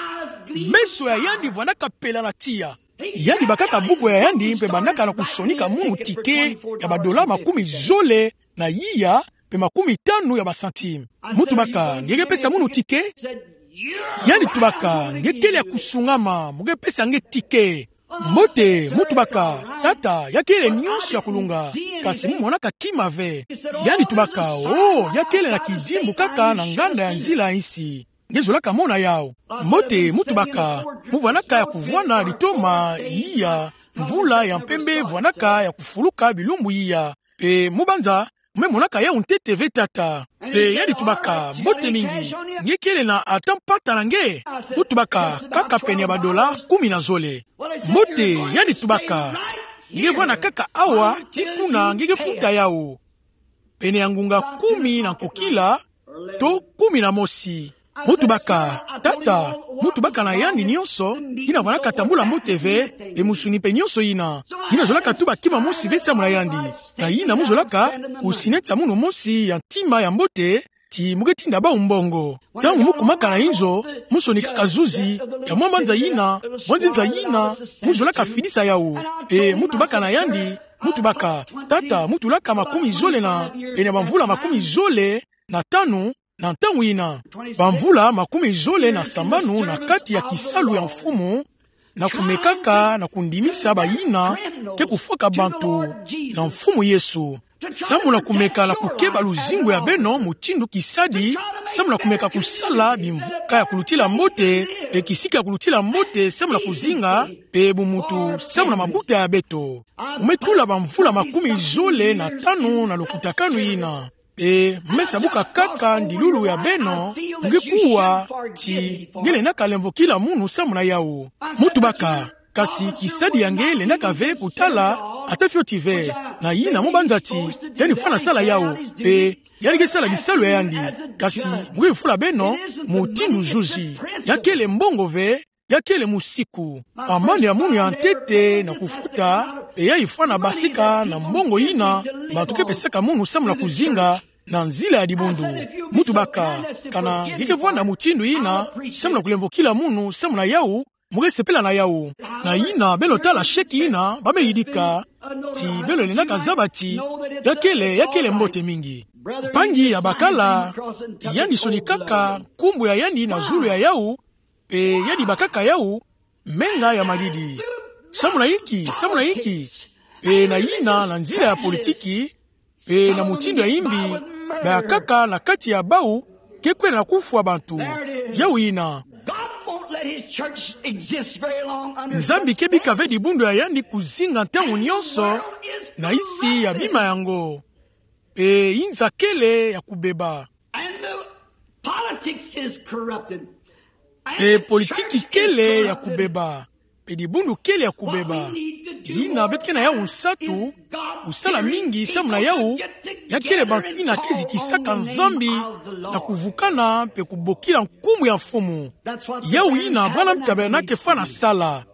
meso ya yandi vwanaka pela na tiya. Yandi bakaka buku ya yandi pe bandaka na kusonika munu ticket ya ba dollars makumi zole na iya pe makumi tanu ya ba centimes. Mu tubaka: Nge ke pesa munu ticket? Yandi tubaka: Nge kele ya kusungama, mu ke pesa nge ticket. Mbote, mu tubaka: Tata, ya kele nyonso ya kulunga, kasi mu monaka kima ve. Yandi tubaka: Oh, ya kele na kidimbu kaka na nganda ya nzila ya nsi. Nge zolaka mona yawu. Mbote, mu tubaka: Mu vwanaka ya kuvwana litoma iya, mvula ya mpembe vwanaka ya kufuluka bilumbu iya. Pe mu banza, mu me monaka yawu ntete ve, tata. Pe yandi tubaka: Mbote mingi, nge kele na ata mpata na nge? Mu tubaka: Kaka pene ya ba dollars kumi na zole. Mbote, yandi tubaka: Nge ke vwana kaka awa, tii kuna nge ke futa yawu. Pene ya ngunga kumi na nkokila, to kumi na mosi. Mu tubaka: Tata, mu tubaka na yandi nyonso, yina vwanaka tambula mbote ve, pe musuni pe nyonso yina. Yina zolaka tuba kima mosi ve samu na yandi. Na yina mu zolaka kusineta munu mosi ya ntima ya mbote, ti mu ke tinda bawu mbongo. Ntangu mu kumaka na inzo, mu sonikaka zuzi ya mwa manza yina, mwa nzinza yina, mu zolaka fidisa yawu. Pe mu tubaka na yandi, mu tubaka: Tata, mu tulaka makumi zole na, pene ya bamvula makumi zole na tanu, na ntangu yina. Bamvula makumi zole na sambanu na kati ya kisalu ya Mfumu, na kumekaka na kundimisa bayina ke kufwaka bantu na Mfumu Yesu. Samu na kumeka na kukeba luzingu ya beno, mutindu kisadi, samu na kumeka kusala bimvuka ya kulutila mbote, pe kisika ya kulutila mbote, samu na kuzinga, pe bumuntu, samu na mabuta ya beto. Mu me tula bamvula makumi zole na tanu na lukutakanu yina. Pe mu me sabuka kaka ndilulu ya beno, nge kuwa ti nge lenda kalemvokila munu samu na yawu. Mu tubaka: Kasi kisadi ya nge lendaka ve kutala, ata fioti ve. Na yina mu banza ti yandi fwana sala yawu, pe yandi ke sala bisalu ya yandi. Kasi mu ke fula beno, mutindu zuzi, ya kele mbongo ve, ya kele musiku. Amani ya munu ya ntete na kufuta, pe yayi fwana basika na mbongo yina bantu ke pesaka munu samu na kuzinga na nzila ya dibundu. Mu tubaka: Kana nge ke vwanda mutindu yina samu na kulemvokila munu samu na yawu, mu ke sepela na yawu. Na yina beno tala chèque yina ba me yidika, ti beno lendaka zaba ti ya kele, ya kele mbote mingi. Mpangi ya bakala, yandi sonikaka nkumbu ya yandi na zulu ya yawu, pe yandi bakaka yawu menga ya madidi. Samu na inki, samu na inki? Pe na yina, na nzila ya politiki, pe na mutindu ya imbi, bayakaka na kati ya bawu ke kwenda na kufwa bantu. Yawu yina. God won't let his church exist very long under Nzambi ke bika ve dibundu ya yandi kuzinga ntangu nyonso na isi ya bima yango. Pe inza kele ya kubeba. And the politics is corrupted. And Pe the politiki church is kele ya corrupted. Kubeba. Pe dibundu kele ya kubeba. Yina beto ke na yawu nsatu, kusala mingi samu na yawu, ya kele bantu yina ke zikisaka Nzambi na kuvukana pe kubokila nkumbu ya Mfumu. Yawu yina Branham Tabernacle ke fwana sala.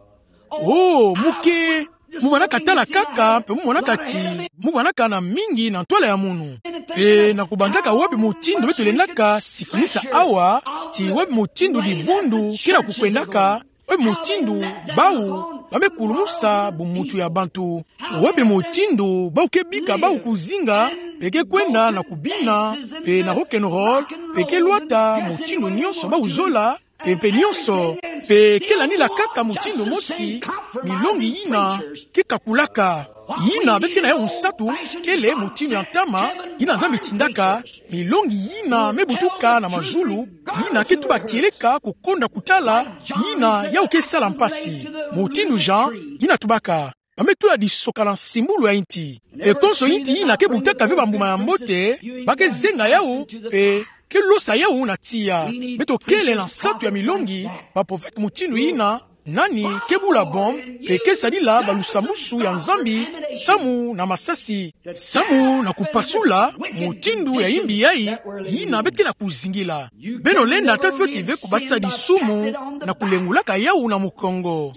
Oh, mu ke, mu vwanaka tala kaka, pe mu monaka ti mu vwanaka na mingi na ntwala ya munu. Pe na kubanzaka wapi mutindu beto lendaka sikinisa awa, ti wapi mutindu dibundu ke na kukwendaka, wapi mutindu bawu ba me kulumusa bumuntu ya bantu, wapi mutindu bawu ke bika bawu kuzinga, pe ke kwenda na kubina, pe na rock and roll, pe ke lwata mutindu nyonso bawu zola, pe mpe nyonso, pe ke landila kaka mutindu mosi milongi yina ke kakulaka. Yina beto ke na yawu nsatu, kele mutindu ya ntama yina Nzambi tindaka, milongi yina me butuka na mazulu, yina ke tuba kieleka kukonda kutala, yina yawu ke sala mpasi. Mutindu Jean, yina tubaka, ba me tula disoka na nsimbulu ya inti. Pe konso inti yina ke butaka ve bambuma ya mbote, ba ke zenga yawu, pe ke losa yawu na tiya. Beto kele na nsatu ya milongi, baprofete mutindu yina, nani ke bula bombe, pe ke sadila balusambwasu ya Nzambi, samu na masasi, samu na kupasula mutindu ya imbi yayi, yina beto ke na kuzingila. Beno lenda ata fioti ve kubasisa disumu na kulengulaka yawu na mukongo.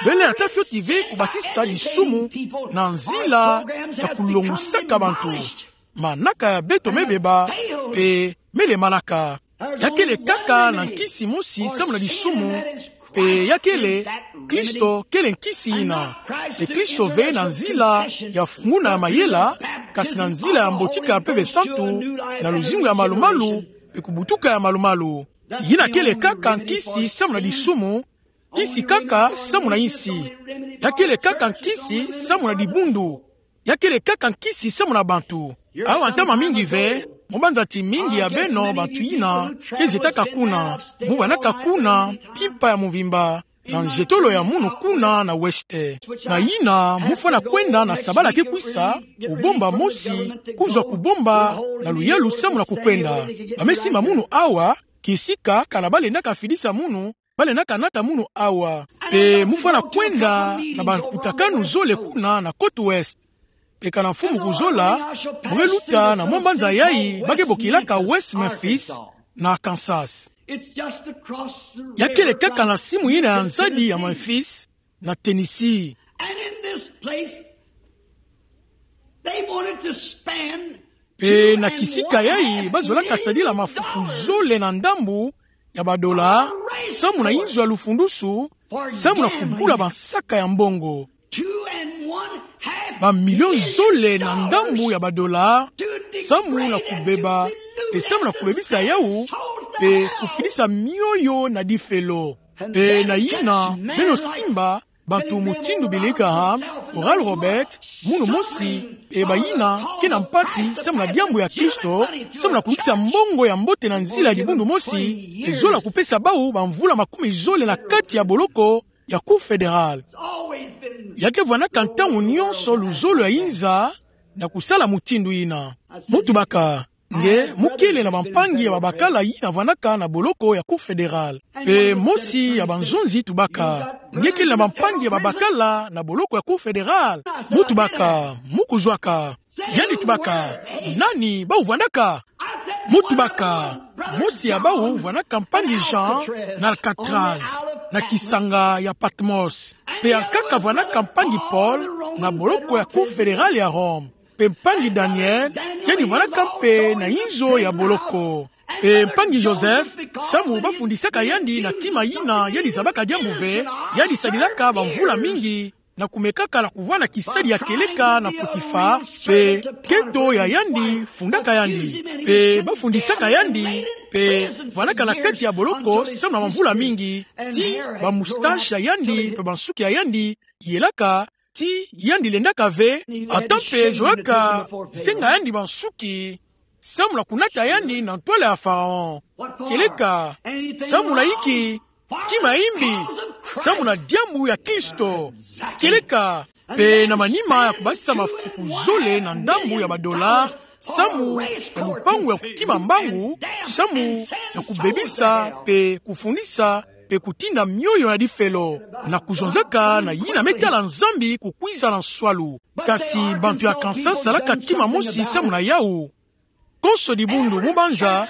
Bele na tâ fioti ve kubasisa disumu na nzila ya kulongosaka bantu. Manaka ya beto mebeba, pe mele manaka. Ya kele kaka na nkisi mosi samu na disumu, pe ya kele, Kristo kele nkisi ina. Pe Kristo ve na nzila ya funguna mayela, kasi na nzila ya mbotika Mpeve Santu, na luzingu ya malumalu, pe kubutuka ya malumalu. Yina kele kaka nkisi samu na disumu, nkisi kaka samu na insi. Ya kele kaka nkisi samu na dibundu. Ya kele kaka nkisi samu na bantu. Awa ntama mingi ve, mo banza ti mingi ya beno bantu yina, ke zetaka kuna, mo vanaka kuna mpimpa ya mvimba, na nzetolo ya munu kuna na West. Na yina, mo fwana kwenda na sabala ke kwisa, kubomba mosi, kuzwa kubomba, na luyalu samu na kukwenda. Ba me simba munu awa, kisika, kana balendaka fidisa munu, balendaka nata munu awa. Pe mo fwana kwenda na bakutakanu zole kuna na côte ouest. Pe kana mfumu kuzola, mo ke luta na mwa mbanza yayi ba ke bokilaka West Memphis, na Arkansas. Ya kele kaka na simu yina ya nzadi ya Memphis, na Tennessee. And in this place, they wanted to spend Pe na kisika yayi, ba zolaka sadila mafuku zole na ndambu ya badola, samu na inzo ya lufundusu, samu na kubula bansaka ya mbongo. Ba milio zole na ndambu ya badola, samu na kubeba, pe samu na kubebisa yawu, pe kufidisa mioyo na difelo. Pe na yina, beno simba, bantu mutindu Billy Graham, Oral Roberts, munu mosi, pe bayina ke na mpasi, samu na diambu ya Kristo, samu na kukisa mbongo ya mbote na nzila ya dibundu mosi, pe zola kupesa bawu bamvula makumi zole na kati ya boloko ya Cour Federal. Ya ke vwanaka ntangu nyonso luzolo ya inza na kusala mutindu yina. Mo tubaka, nge mo kele na bampangi ya babakala yina vwanaka na boloko ya Cour Federal. Pe mosi ya banzonzi tubaka, nge kele na bampangi ya babakala na boloko ya Cour Federal? Mo tubaka, mo kuzwaka. Yandi tubaka, nani bawu vwanaka? Mo tubaka, mosi ya bawu vwanaka mpangi Jean na Alcatraz, na kisanga ya Patmos. Pe ankaka vwanaka mpangi Paul na boloko ya Cour Federal ya Rome. Pe mpangi Daniel, yandi vwanaka mpe na inzo ya boloko. Pe mpangi Joseph, samu bafundisaka yandi na kima yina yandi zabaka diambu ve, yandi sadilaka bamvula mingi na kumekaka na kuvwanda kisadi ya kieleka na Potiphar, pe keto ya yandi fundaka yandi. Pe bafundisaka yandi, pe vwanaka na kati ya boloko samu na bamvula mingi, ti bamoustache ya yandi, pe bansuki ya yandi yelaka, ti yandi lendaka ve, ata mpe zolaka senga yandi bansuki, samu na kunata yandi na ntwala ya Pharaon. Kieleka, samu na inki? Kima imbi, samu na diambu ya Kristo. Kieleka, pe na manima ya kubasisa mafuku zole na ndambu ya badola, samu na lupangu ya kukima mbangu, samu na kubebisa, pe kufundisa, pe kutinda mioyo na difelo, na kuzonzaka na yina me tala Nzambi kukwiza na nswalu. Kasi bantu ya Arkansas salaka kima mosi samu na yawu. Konso dibundu, mo banza,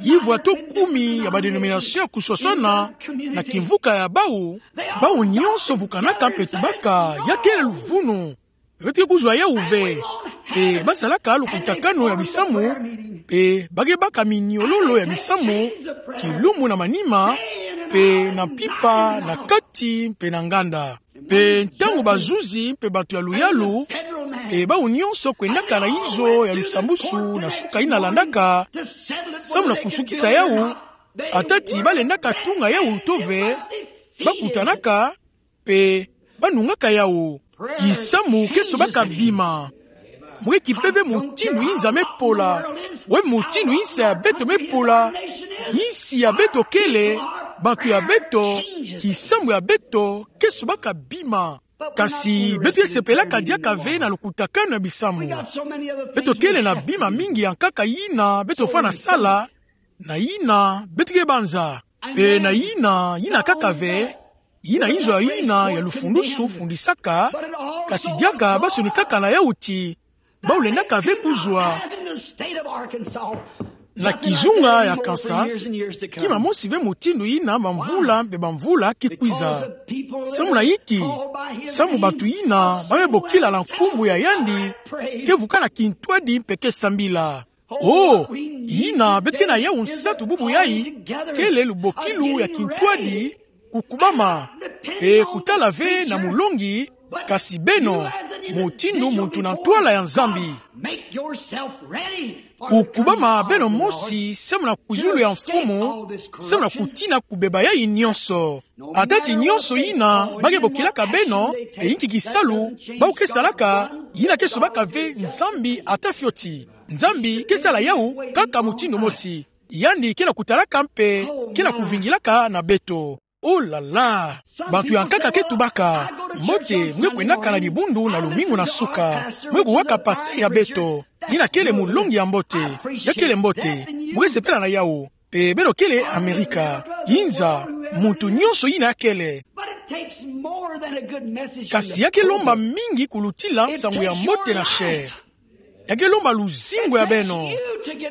yivwa to kumi ya badénomination ya kuswaswana na kimvuka ya bawu, bawu nyonso vukanaka mpe tubaka, ya kele luvunu. Beto ke kuzwa yawu ve. Pe basalaka lukutakanu ya bisamu, pe ba ke baka miniololo ya bisamu, kilumbu na manima, pe na mpimpa, na kati, pe na nganda. Pe ntangu bazuzi mpe bantu ya luyalu, pe bawu nyonso kwendaka na inzo ya lusambusu na suka yina landaka, samu na kusukisa yawu, ata ti balendaka tunga yawu to ve, bakutanaka, pe banungaka yawu. Kisamu ke sobaka bima. Mo ke kipe ve mutindu inza me pola, we mutindu insi ya beto me pola, insi ya beto kele, bantu ya beto, kisamu ya beto ke sobaka bima. Kasi beto ke sepelaka diaka ve na lukutakanu ya bisamu. Beto kele na bima mingi ya nkaka yina beto fwana sala, na yina beto ke banza. Pe na yina, yina kaka ve, yina inzo ya yina ya lufundusu fundisaka, kasi diaka basonikaka na yawu ti, bawu lendaka ve kuzwa. Na kizunga ya Kansas, kima mosi ve mutindu yina bamvula mpe bamvula ke kwiza. Samu na yinki? Samu bantu yina ba me bokila na nkumbu ya yandi ke vukana kintwadi mpe ke sambila. Oh, yina beto ke na yawu nsatu bubu yayi, kele lubokilu ya kintwadi, kukubama, e kutala ve na mulongi, kasi beno, mutindu muntu na ntwala ya Nzambi. Kukubama beno mosi, samu na kwizulu ya Mfumu, samu na kutina kubeba yayi nyonso. Ata ti nyonso yina ba ke bokilaka beno, e yinki kisalu ba ke salaka, yina ke sobaka ve Nzambi ata fioti. Nzambi ke sala yawu kaka mutindu mosi. Yandi ke na kutalaka mpe ke na kuvingilaka na beto. Oh là là! Bantu ya nkaka ke tubaka: Mbote, mwe kwendaka na dibundu na lumingu na suka. Mwe kuwaka pasteur ya beto. Yina kele mulongi ya mbote. Ya kele mbote. Mwe sepela na yawu. Mpe beno kele Amerika. Inza, muntu nyonso yina ya kele. But it takes more than a good message from the pulpit. Kasi ya ke lomba mingi kulutila nsangu ya mbote na chair. Ya ke lomba luzingu ya beno.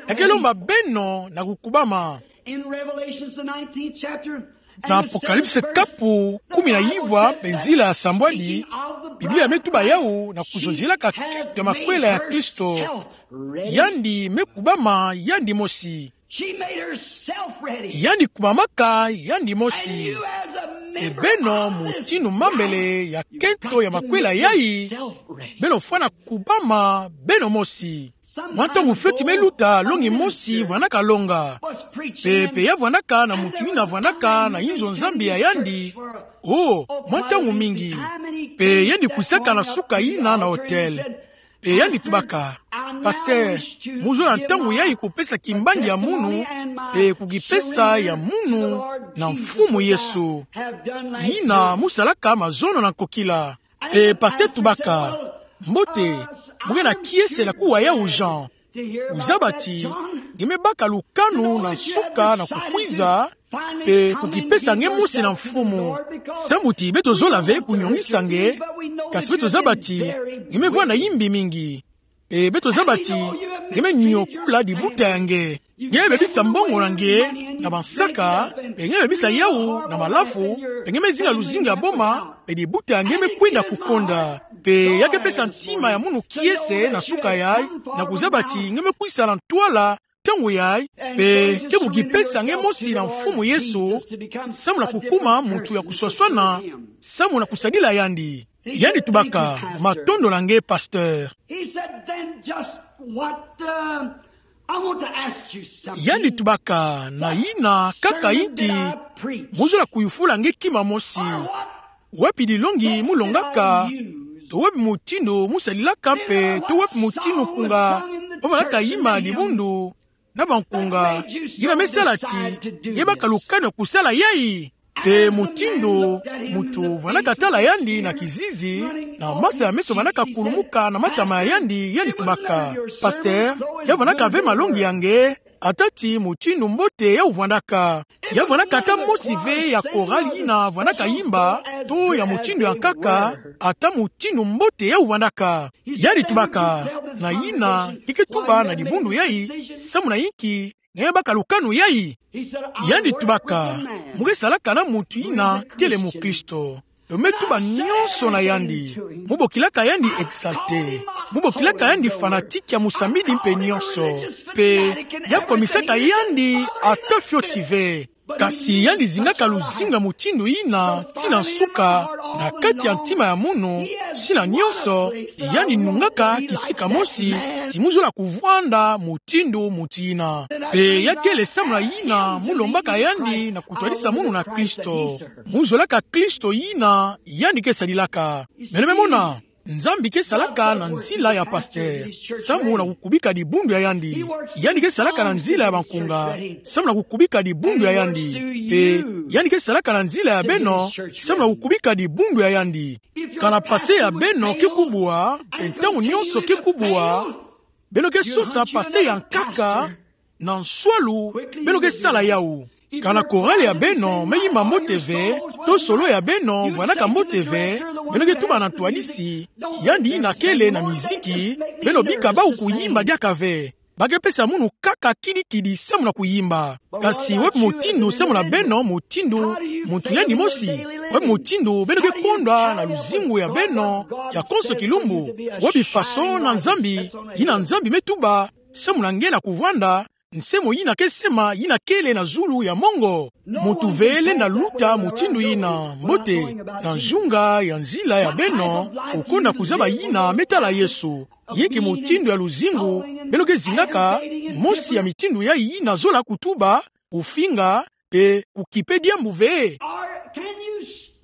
Ya ke lomba beno na kukubama. In Revelations, the nineteenth chapter, na Apocalypse kapu kumi na yivwa, mpe nzila ya sambwadi, Biblia me tuba yawu na kuzonzelaka kento ya makwela ya Kristo. Yandi me kubama yandi mosi. She made herself ready. Yandi kubamaka yandi mosi. And you as a member of this bride, you make yourself ready. E beno, mutindu mambele ya kento ya makwela yayi, beno fwana kubama beno mosi. Mwa ntangu fioti me luta, longi mosi vwandaka longa. Mpe, mpe ya vwandaka na muntu yina vwandaka na inzo Nzambi ya yandi. Oh, mwa ntangu mingi. Mpe yandi kwisaka na suka yina na hotel. Mpe yandi tubaka: Pasteur, mu zola ntangu yayi kupesa kimbangi ya munu, mpe kukipesa ya munu na Mfumu Yesu. Yina mu salaka mazono na nkokila. Mpe pasteur tubaka: Mbote, mu ke na kiese na kuwa yawu, Jean? Wuzaba ti nge me baka lukanu na nsuka na kukwiza, mpe kukipesa nge mosi na Mfumu. Samu ti beto zola ve kunyongisa nge, kasi beto zaba ti nge me vwanda yimbi mingi. Mpe beto zaba ti nge me nyokula dibuta ya nge. Nge me bebisa mbongo na nge na bansaka, mpe nge me bebisa yawu na malafu, mpe nge me zinga luzingu ya boma, mpe dibuta ya nge me kwenda kukonda. Mpe ya ke pesa ntima ya munu kiese na suka yayi, na kuzaba ti nge me kwisa na ntwala ntangu yayi, mpe ke kukipesa nge mosi na Mfumu Yesu, samu na kukuma muntu ya kuswaswana, samu na kusadila yandi. Yandi tubaka: Matondo na nge, pasteur. He said, "Then just what, uh, I want to ask you something." Yandi tubaka: Na yina kaka inki mu zola kuyufula nge kima mosi? Wapi dilongi mu longaka, to wapi mutindu mu salilaka, mpe to wapi mutindu nkunga ba manaka yimba na dibundu na bankunga, yina me sala ti nge baka lukanu ya kusala yayi? Mpe mutindu muntu vwandaka tala yandi na kizizi, na masa ya meso manaka kulumuka na matama ya yandi, yandi tubaka: Pasteur, ya vwandaka ve malongi ya nge, ata ti mutindu mbote yawu vwandaka. Ya vwandaka ata mosi ve ya chorale yina vwandaka yimba, to ya mutindu ya nkaka, ata mutindu mbote yawu vwandaka. Yandi tubaka: Na yina nge ke tuba na dibundu yayi, samu na inki nge baka lukanu yayi? Yandi tubaka: Mu ke salaka na muntu yina kele mukristo. Mpe mu me tuba nyonso na yandi. Mu bokilaka yandi exalté. Mu bokilaka yandi fanatique ya musambidi mpe nyonso. Mpe ya komisaka yandi ata fioti ve. Kasi yandi zingaka luzingu ya mutindu yina tii na nsuka, na kati ya ntima ya munu, tii na nyonso, yandi nungaka kisika mosi ti mu zola kuvwanda mutindu muntu yina. Mpe ya kele samu na yina mu lombaka yandi na kutwadisa munu na Kristo. Mu zolaka Kristo yina yandi ke sadilaka. Beno me mona, Nzambi ke salaka na nzila ya pasteur, samu na kukubika dibundu ya yandi. Yandi ke salaka na nzila ya bankunga, samu na kukubika dibundu ya yandi. Mpe yandi ke salaka na nzila ya beno, samu na kukubika dibundu ya yandi. Kana pase ya beno ke kubwa, mpe ntangu nyonso ke kubwa, beno ke sosa pase ya nkaka, na nswalu, beno ke sala yawu. Kana chorale ya beno me yimba mbote ve, to solo ya beno vwandaka mbote ve, beno ke tuba na ntwadisi, yandi yina kele na miziki, beno bika bawu kuyimba diaka ve. ba ke pesa munu kaka kidi-kidi samu na kuyimba. Kasi webi motindo samu na beno, motindo muntu yandi mosi, webi motindo beno ke konda na luzingu ya beno ya konso kilumbu, webi façon na Nzambi, yina Nzambi me tuba samu na nge na kuvwanda, nsemo'ina ke sema yina kele na zulu ya mongo. Muntu ve lenda luta motindo yina mbote, na nzunga ya nzila ya beno, okonda kuzaba yina me tala Yesu. Yinki motindo ya luzingu beno ke zingaka, mosi ya mitindo yayi yina zola kutuba, kufinga, mpe kukipe diambu ve?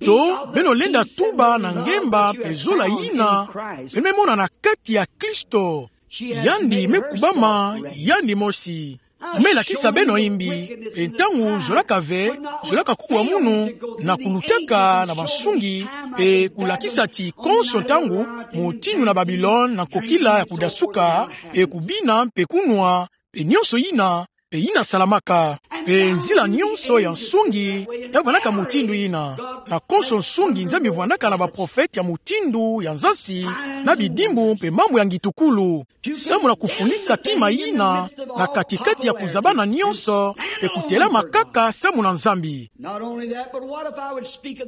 To beno lenda tuba na ngemba mpe zola yina beno me mona na kati ya Kristo? Yandi me kubama yandi mosi. Me lakisa beno imbi, mpe ntangu zolaka ve, zolaka kubwa munu, na kulutaka na bansungi, mpe kulakisa ti konso ntangu, motindo na Babilone na nkokila ya kudasuka, mpe kubina mpe kunwa, mpe nyonso yina, mpe yina salamaka. Mpe nzila nyonso ya nsungi ya vwandaka motindo yina. Na konso nsungi Nzambi vwandaka na baprofete ya motindo ya nzansi, na bidimbu mpe mambu ya ngitukulu, samu na kufundisa kima yina na kati-kati ya kuzabana nyonso, mpe kutelama kaka samu na Nzambi.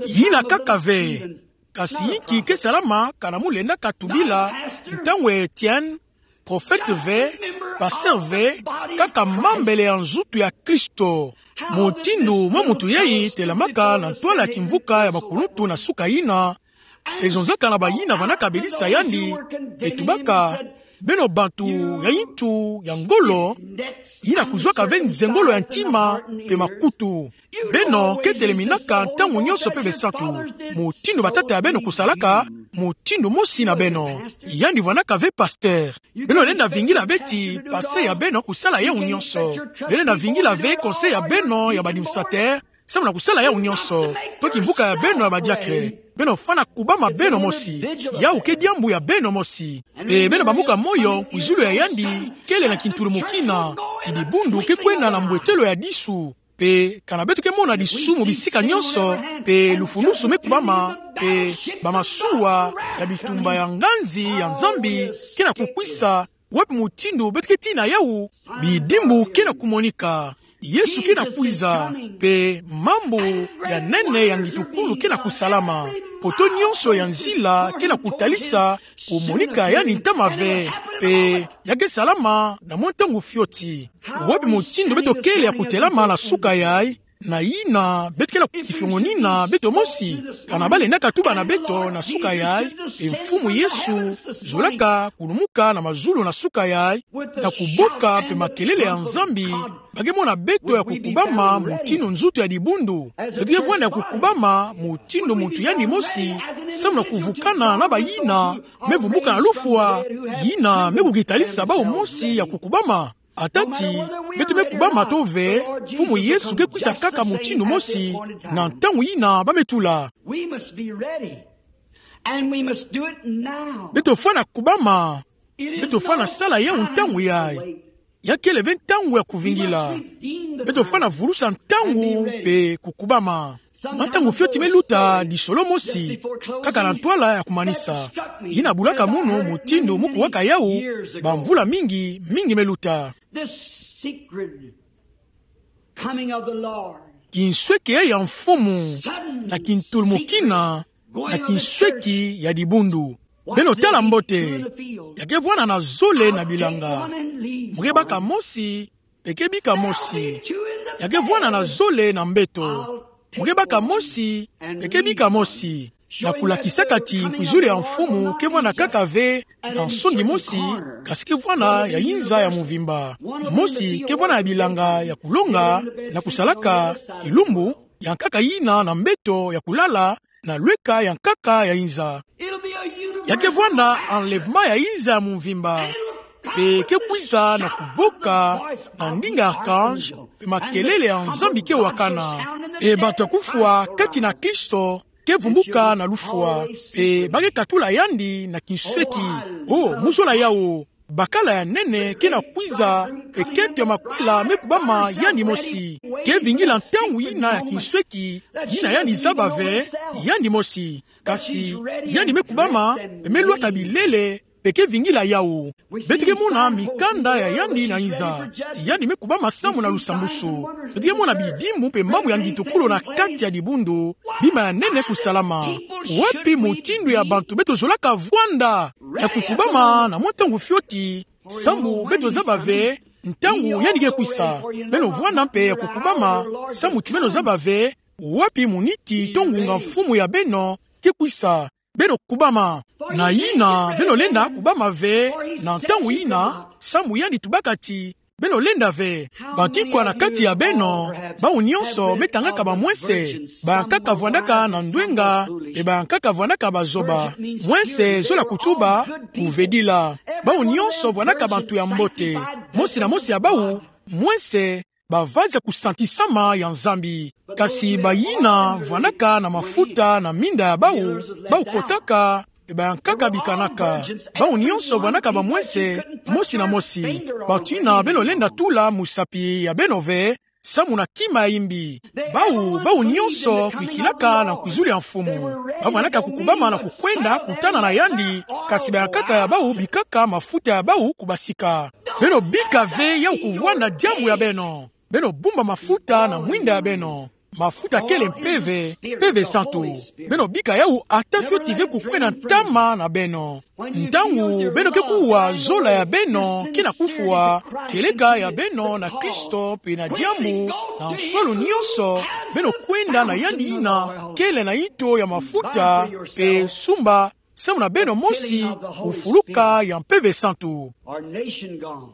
Yina kaka ve, kasi yinki ke salama kana mu lendaka tubila ntangu ya Etienne, profete ve, pasteur ve, kaka mambele ya nzutu ya Kristo? Motindo mwa muntu yayi telamaka na ntwala ya kimvuka ya bakuluntu na suka yina, mpe zonzaka na bayina vwandaka belisa yandi, mpe tubaka: Beno bantu ya yintu ya ngolo, yina kuzwaka ve nzengolo ya ntima mpe makutu. Beno ke teleminaka ntangu nyonso mpe besantu, motindo batata ya beno kusalaka, motindo mosi na beno. Yandi vwandaka ve pasteur. Beno lenda vingila ve ti passé ya beno kusala yawu nyonso. Beno lenda vingila ve conseil ya beno ya baadministrateur, samu na kusala yawu nyonso. To kimvuka ya beno ya badiakre. Beno fwana kubama beno mosi. Yawu ke diambu ya beno mosi. Mpe beno bambuka moyo, kwizulu ya yandi kele na kintulumukina, ti dibundu ke kwenda na mbwetelo ya disu. Mpe kana beto ke mona disu mu bisika nyonso, mpe lufulusu me kubama, mpe bamasuwa ya bitumba ya nganzi ya Nzambi ke na kukwisa, wapi motindo beto ke tina yawu? Bidimbu ke na kumonika. Yesu ke na kwiza, mpe mambu ya nene ya ngitukulu ke na kusalama. Poteau nyonso ya nzila ke na kutalisa kumonika yandi ntama ve, mpe ya ke salama na mwa ntangu fioti. Wapi motindo beto kele ya kutelama na suka yayi, na yina beto ke na kukifiongonina beto mosi? Kana ba lendaka tuba na beto na suka yayi, e Mfumu Yesu zolaka kulumuka na mazulu na suka yayi, na kuboka mpe makelele ya Nzambi, ba ke mona beto ya kukubama motindo nzutu ya dibundu? Beto ke vwanda ya kukubama motindo muntu yandi mosi, samu na kuvukana na bayina me vumbuka na lufwa, yina me kukitalisa bawu mosi ya kukubama. Ata ti beto me kubama to ve, Mfumu Yesu ke kwisa kaka motindo mosi, na ntangu yina ba me tula. We must be ready. And we must do it now. Beto fwana kubama. Beto fwana sala yawu ntangu yayi. Ya kele ve ntangu ya kuvingila. Beto fwana vulusa ntangu mpe kukubama. Mwa ntangu fioti me luta, disolo mosi, kaka na ntwala ya kumanisa, yina bulaka munu motindo mu kuwaka yawu bamvula mingi, mingi me luta. This secret coming of the Lord. Kinsweki ya Mfumu, na kintulumukina, na kinsweki ya dibundu. Beno tala mbote, ya ke vwanda na zole na bilanga. Mu ke baka mosi, mpe ke bika mosi. Ya ke vwanda na zole na mbeto. Mu ke baka mosi, mpe ke bika mosi. Na kulakisaka ti nkwizulu ya Mfumu ke vwanda kaka ve na nsongi mosi, kasi ke vwanda ya inza ya muvimba. Mosi ke vwanda ya bilanga ya kulonga, na kusalaka kilumbu, ya nkaka yina na mbeto ya kulala, na lweka ya nkaka ya inza. Ya ke vwanda enlèvement ya inza ya muvimba. Mpe ke kwiza na kuboka na ndinga archange, mpe makelele ya Nzambi ke wakana. Mpe bantu ya kufwa kati na Kristo ke vumbuka na lufwa, mpe ba ke katula yandi na kinsweki. O, mu zola yawu, bakala ya nene ke na kwiza, mpe kento ya makwela me kubama yandi mosi. Ke vingila ntangu yina ya kinsweki, yina yandi zaba ve, yandi mosi. Kasi yandi me kubama, mpe me lwata bilele, Mpe ke vingila yawu. Beto ke mona mikanda ya yandi na nza. Ti yandi me kubama samu na lusambwasu. Beto ke mona bidimbu mpe mambu ya ngitukulu na kati ya dibundu. Bima ya nene kusalama. Wapi mutindu ya bantu beto zolaka vwanda? Ya kukubama na mwa ntangu fioti. Samu beto zaba ve ntangu yandi ke kwisa. Beno vwanda mpe ya kukubama. Samu ti beno zaba ve wapi muniti to ngunga mfumu ya beno ke kwisa. Beno kubama. Na yina, beno lenda kubama ve na ntangu yina, samu yandi tubaka ti beno lenda ve. Bantu ikwa na kati ya beno, bawu nyonso me tangaka bamwese, bayankaka vwandaka na ndwenga, mpe bayankaka vwandaka bazoba. Mwese zola kutuba, kuvedila. Bawu nyonso vwandaka bantu ya mbote. Mosi na mosi ya bawu, mwese, bavazi ya kusantisama ya Nzambi. Kasi bayina vwandaka na mafuta na minda ya bawu, bawu kotaka, mpe bayankaka bikanaka. Bawu nyonso vwandaka bamwese, mosi na mosi. Bantu yina beno lenda tula musapi ya beno ve, samu na kima ya yimbi. Bawu, bawu nyonso kwikilaka na nkwizulu ya mfumu. Bavwandaka kukubama na kukwenda kutana na yandi, kasi bayankaka ya bawu bikaka mafuta ya bawu kubasika. Beno bika ve yawu kuvwanda diambu ya beno. Beno bumba mafuta na mwinda ya beno. Mafuta kele mpeve, mpeve santu. Beno bika yawu ata fioti ve kukwenda ntama na beno. Ntangu beno ke kuwa zola ya beno kina kufwa, kieleka ya beno na Kristo mpe na diambu, na nsolo nyonso, beno kwenda na yandi yina kele na yinto ya mafuta, mpe sumba, samu na beno mosi, kufuluka ya mpeve santu. Our nation gone.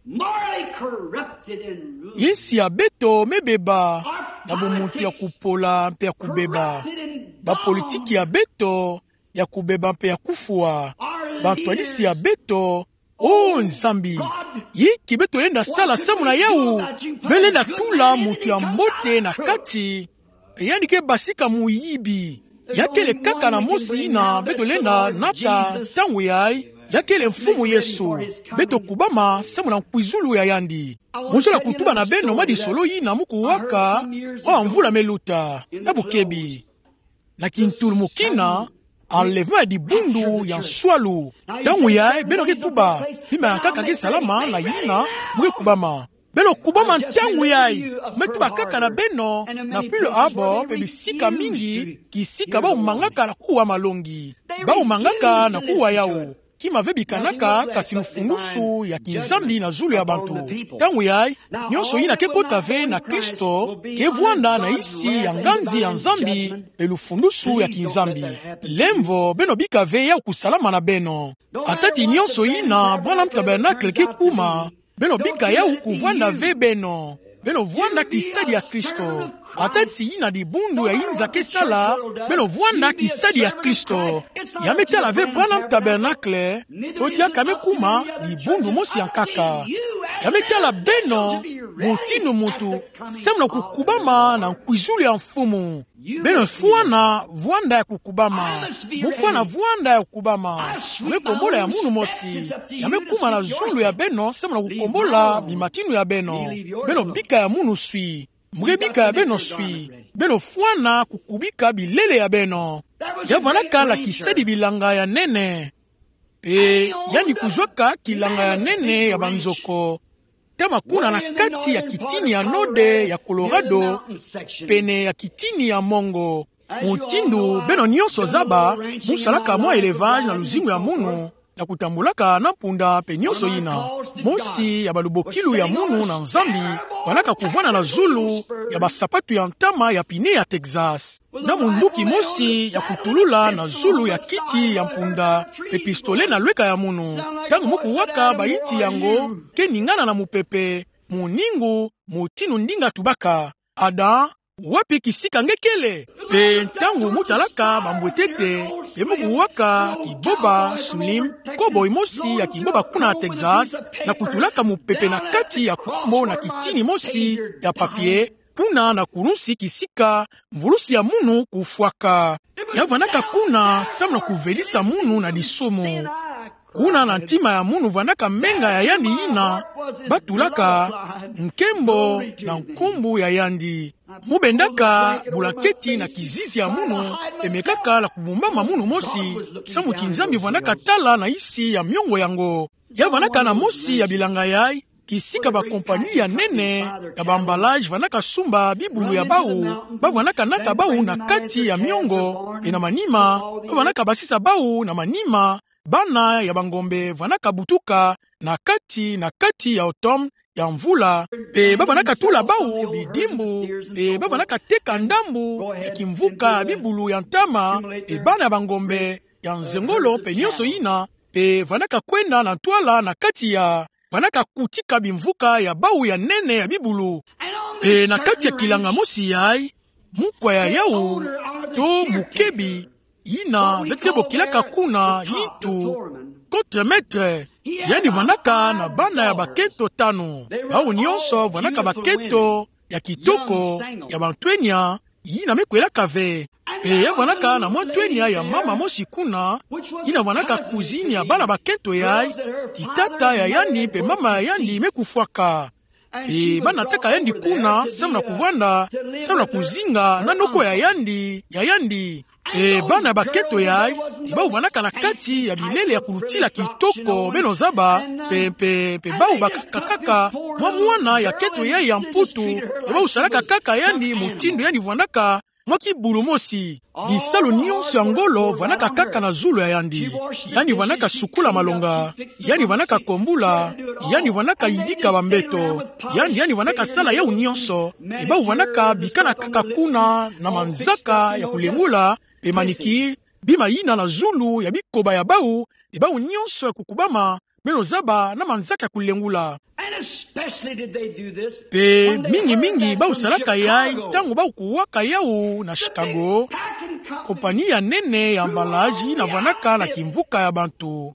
Morally corrupted and ruined. Insi ya beto me beba, na bumuntu ya kupola mpe ya kubeba. Bapolitiki ya beto ya kubeba mpe ya kufwa. Bantwadisi ya beto, o Nzambi, inki beto lenda sala samu na yawu? Beno lenda tula muntu ya mbote na kati, mpe yandi ke basika muyibi. Ya kele kaka na mosi yina beto lenda nata ntangu yayi, ya kele Mfumu Yesu. Beto kubama samu na nkwizulu ya yandi. Mu zola kutuba na beno mwa disolo yina mu kuwaka, mwa mvula me luta, ya bukebi. Na kintulu mu kina, enlèvement ya dibundu ya nswalu. Ntangu yayi, beno ke tuba, bima yankaka ke salama na yina, mu ke kubama. Beno kubama ntangu yayi, mu ke tuba kaka na beno, na Pearl Harbor, mpe bisika mingi, kisika bawu mangaka na kuwa malongi. Bawu mangaka na kuwa yawu. Kima ve bikanaka, kasi lufulusu ya kinzambi na zulu ya bantu. Ntangu yayi, nyonso yina ke kota ve na Kristo, ke vwanda na insi ya nganzi ya Nzambi, mpe lufulusu ya kinzambi. Lemvo, beno bika ve yawu kusalama na beno. Ata ti nyonso yina, Branham Tabernacle ke kuma, beno bika yawu kuvwanda ve beno. Beno vwanda kisadi ya Kristo. Ata ti yina dibundu ya inza ke sala, beno vwanda kisadi ya Kristo. Ya me tala ve Branham Tabernacle, to diaka me kuma dibundu mosi ya nkaka. Ya me tala beno, mutindu muntu, samu na kukubama na nkwizulu ya Mfumu. Beno fwana vwanda ya kukubama. Mu fwana vwanda ya kukubama. Mu ke kombola ya munu mosi. Ya me kuma na zulu ya beno samu na kukombola bimatinu ya beno. Beno bika ya munu swi. Mu ke bika ya beno swi. Beno fwana kukubika bilele ya beno. Ya vwandaka na kisadi bilanga ya nene. Mpe yandi kuzwaka kilanga ya nene ya banzoko. Ntama kuna na kati ya kitini ya node ya Colorado, pene ya kitini ya mongo. Mutindu beno nyonso zaba, mu salaka mwa élevage na luzingu ya munu, na kutambulaka na mpunda mpe nyonso yina. Mosi ya balubokilu ya munu na Nzambi, vwandaka kuvwanda na zulu ya basapatu ya ntama ya pine ya Texas. Na munduki mosi ya kutulula na zulu ya kiti ya mpunda, mpe pistolet na lweka ya munu. Ntangu mu kuwaka bayinti yango, ke ningana na mupepe, muningu, mutinu ndinga tubaka: Adam, wapi kisika nge kele? Mpe ntangu mu talaka bambwetete, mpe mu kuwaka kiboba slim, cowboy mosi ya kiboba kuna Texas, na kutulaka mupepe na kati ya kombo na kitini mosi ya papier, kuna na kulunsi kisika mvulusi ya munu kufwaka. Ya vwandaka kuna samu na kuvelisa munu na disumu. Kuna na ntima ya munu vwandaka menga ya yandi yina batulaka nkembo na nkumbu ya yandi. Mu bendaka bulanketi na kizizi ya munu, pe mekaka na kubumbama munu mosi, samu ti Nzambi vwandaka tala na isi ya miongo yango. Ya vwandaka na mosi ya bilanga yai, kisika ba compagnie ya nene ya ba emballage vwandaka sumba bibulu ya bau, ba vwandaka nata bau na kati ya miongo, pe na manima, ba vwandaka basisa bau na manima, bana ya bangombe vwandaka butuka na kati, na kati ya automne, ya mvula, pe ba vwandaka tula bau bidimbu, pe ba vwandaka teka ndambu ya kimvuka bibulu ya ntama, pe bana ya bangombe ya nzengolo, pe nyonso yina, pe vwandaka kwenda na ntwala na kati ya, vwandaka kutika bimvuka ya bau ya nene ya bibulu. Pe na kati ya kilanga mosi yai, mukwa ya yau, to mukebi, yina beto ke bokilaka kuna hitu, contre-maître, yandi vwandaka na bana ya bakento tanu. Bau nyonso vwandaka bakento ya kitoko, ya bantwenia, yina me kwelaka ve. Pe ya vwandaka na mwa ntwenia ya mama mosi kuna, yina vwandaka cousine ya bana bakento yai, ti tata ya yandi pe mama ya yandi me kufwaka. Pe ba nataka yandi kuna, samu na kuvwanda, samu na kuzinga na noko ya yandi, ya yandi. Pe bana ya bakento yai, ti bau vwandaka na kati ya bilele ya kulutila kitoko beno zaba, pe, pe, pe bau bakaka kaka mwa mwana ya kento yai ya mputu, pe bau salaka kaka yandi mutindu yandi vwandaka, mwa kibulu mosi. Bisalu nyonso ya ngolo vwandaka kaka na zulu ya yandi. Yandi vwandaka sukula malonga, yandi vwandaka kombula, yandi vwandaka yidika bambeto, yandi, yandi vwandaka sala yau nyonso, pe bau vwandaka bikana kaka kuna na manzaka ya kulengula, pe maniki, bima yina na zulu ya bikoba ya bau, pe bau nyonso ya kukubama, beno zaba na manzaka ya kulengula. And especially did they do this Pe when they mingi heard mingi that bau from salaka yai, Chicago, ntangu bau kuwaka yau na Chicago, packing company, compagnie ya nene ya emballage yina vwandaka na kimvuka ya bantu.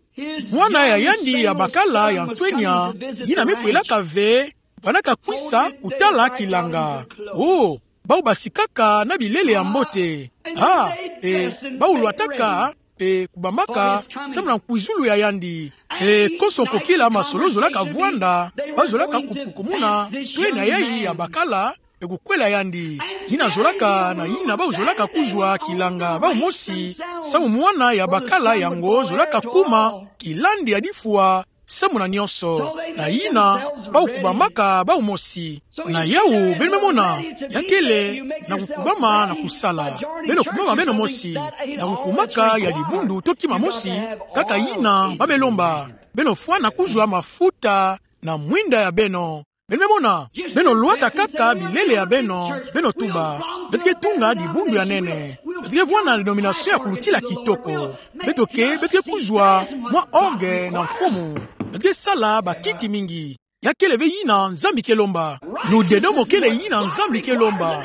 Mwana ya yandi ya bakala ya ntwenia, yina me kwelaka ve, vwandaka kwisa kutala kilanga. Oh, bau basikaka na bilele ya mbote. Ah, e, bau lwataka, pe kubambaka, samu na nkwizulu ya yandi. E, konso kokila masolo zolaka vwanda, ba zolaka kupukumuna ntwenia yai ya bakala, pe kukwela yandi. Yina zolaka na yina bau zolaka kuzwa kilanga bau mosi, samu mwana ya bakala yango zolaka kuma kilandi ya difwa, samu na nyonso, na yina, bau kubamaka bau mosi. Na yau, beno me mona, ya kele, na kukubama na kusala. Beno kubama beno mosi, na kukumaka ya dibundu to kima mosi, kaka yina ba me lomba. Beno fwana kuzwa mafuta na mwinda ya beno. Beno me mona, beno lwata kaka bilele ya beno, beno tuba: Beto ke tunga dibundu ya nene. Beto ke vwanda na denomination ya kulutila kitoko. Beto ke, beto ke kuzwa mwa orgue na mfumu. Beto ke sala bakiti mingi. Ya kele ve yina Nzambi ke lomba. Ludedomo kele yina Nzambi ke lomba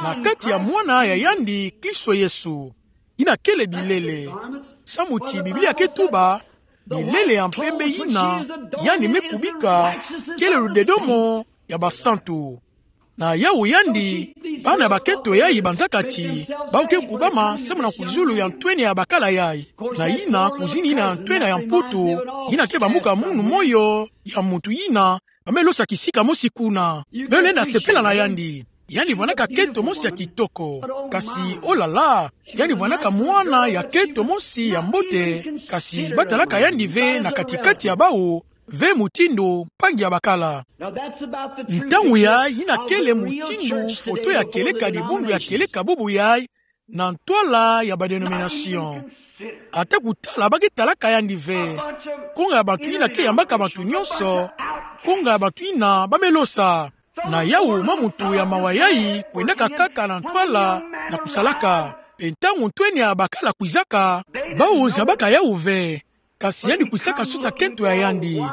na kati ya Mwana ya yandi, Kristo Yesu. Yina kele bilele. Samu ti Biblia ke tuba, bilele ya mpembe yina yandi me kubika, kele ludedomo ya basantu. Na yau yandi, bana ya bakento yai banzaka ti bau ke kubama samu na kwizulu ya ntwenia ya bakala yai. Na yina, kwizini yina ya ntwenia ya mputu, yina ke bamuka munu moyo ya muntu yina ba me losa kisika mosi kuna. Beno lenda sepela na yandi. Yandi vwandaka kento mosi ya kitoko. Kasi, oh là là, yandi vwandaka mwana ya kento mosi ya mbote, kasi ba talaka yandi ve na kati-kati ya bau, ve mutindu mpangi ya bakala. Ntangu yai yina kele mutindu foto ya kieleka, dibundu ya kieleka bubu yai, na ntwala ya ba denomination. Ata kutala ba ke talaka yandi ve. Konga ya bantu yina ke yambaka bantu nyonso. Konga ya bantu yina ba me losa. Na yau mwa muntu ya mawa yai kwendaka kaka na ntwala na kusalaka. Pe ntangu ntwenia ya bakala kwizaka, bau zabaka yau ve. Kasi yandi kwisaka suta kento ya yandi.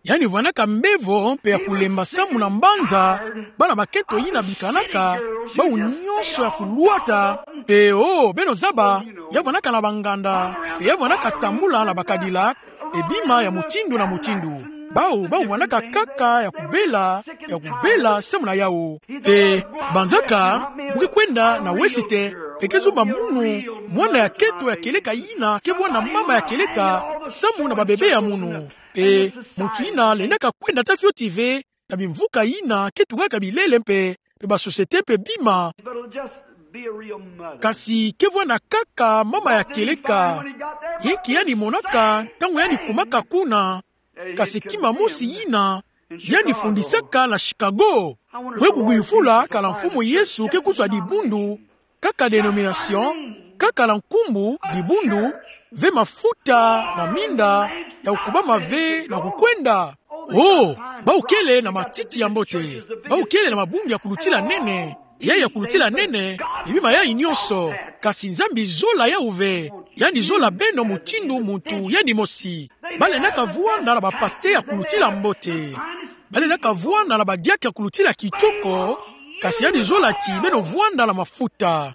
Yandi vwandaka mbevo mpe ya kulemba samu na mbanza, bana bakento yina bikanaka, bau nyonso ya kulwata, mpe oh, beno zaba, ya vwandaka na banganda, mpe ya vwandaka tambula na ba Cadillac, mpe bima ya mutindu na mutindu. Bau, bau vwandaka kaka ya kubela, ya kubela samu na yau. Mpe banzaka, mu ke kwenda na wesite, mpe ke zumba munu, mwana ya kento ya kieleka yina ke vwanda mama ya kieleka samu na babebe ya munu. Mpe muntu yina lendaka kwenda ata fioti ve na bimvuka yina ke tungaka bilele mpe pe ba société pe bima. Kasi ke vwanda kaka mama ya kieleka. Yinki yandi monaka, ntangu yandi kumaka kuna, kasi kima mosi yina, yandi fundisaka na Chicago. Mwe kugwivula kala Mfumu Yesu ke kuzwa dibundu, kaka dénomination, kaka na nkumbu dibundu, ve mafuta na minda ya kukubama ve na kukwenda. Oh, bau kele na matiti ya mbote, bau kele na mabundu ya kulutila nene, ya ya kulutila nene, ni bima yayi nyonso, kasi Nzambi zola yau ve, yandi zola beno mutindu muntu yandi mosi. Balendaka vwanda na bapasteur ya kulutila mbote. Balendaka vwanda na badiaka ya kulutila kitoko, kasi yandi zola ti beno vwanda na mafuta.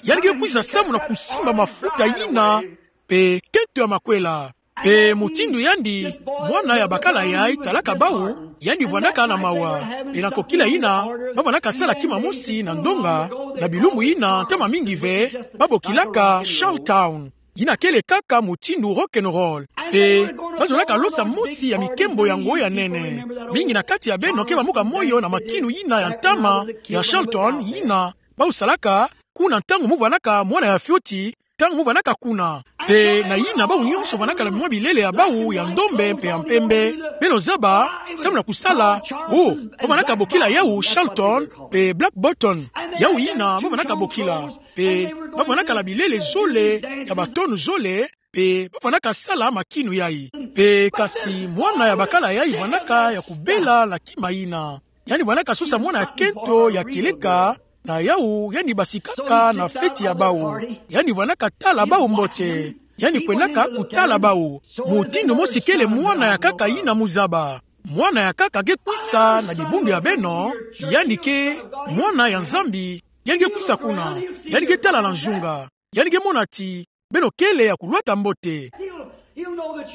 Yandi ke kwisa samu na kusimba mafuta yina, pe kento ya makwela. Pe mutindu yandi, mwana ya bakala yayi talaka bau, yandi vwandaka na mawa. Pe na kokila yina, bavwandaka sala kima mosi na ndonga, na bilumbu yina ntama mingi ve, babokilaka Charlestown. Yina kele kaka mutindu rock and roll. Pe bazolaka losa mosi ya mikembo yango ya nene. Mingi na kati ya beno ke bamuka moyo na makinu yina ya ntama ya Charlestown yina bau salaka kuna ntangu mu vwandaka mwana ya fioti, ntangu mu vwandaka kuna. Pe na yina bau nyonso vwandaka na mwa bilele ya bau ya ndombe pe ya mpembe. Beno zaba, samu na kusala, oh, bavwandaka bokila yau Charlestown, pe Black Bottom. Yau yina bavwandaka bokila. Pe bavwandaka na bilele zole, ya batonu zole, pe bavwandaka sala makinu yayi. Pe kasi mwana ya bakala yayi vwandaka ya kubela na kima yina. Yandi vwandaka sosa mwana ya kento ya kieleka, na yau yandi basikaka na feti ya bau. Yandi vwandaka tala bau mbote. Yandi kwendaka kutala bau. Mutindu mosi kele mwana ya nkaka yina mu zaba. Mwana ya nkaka ke kwisa na dibundu ya beno, yandi ke mwana ya Nzambi, yandi ke kwisa kuna, yandi ke tala na nzunga, yandi ke mona ti beno kele ya kulwata mbote.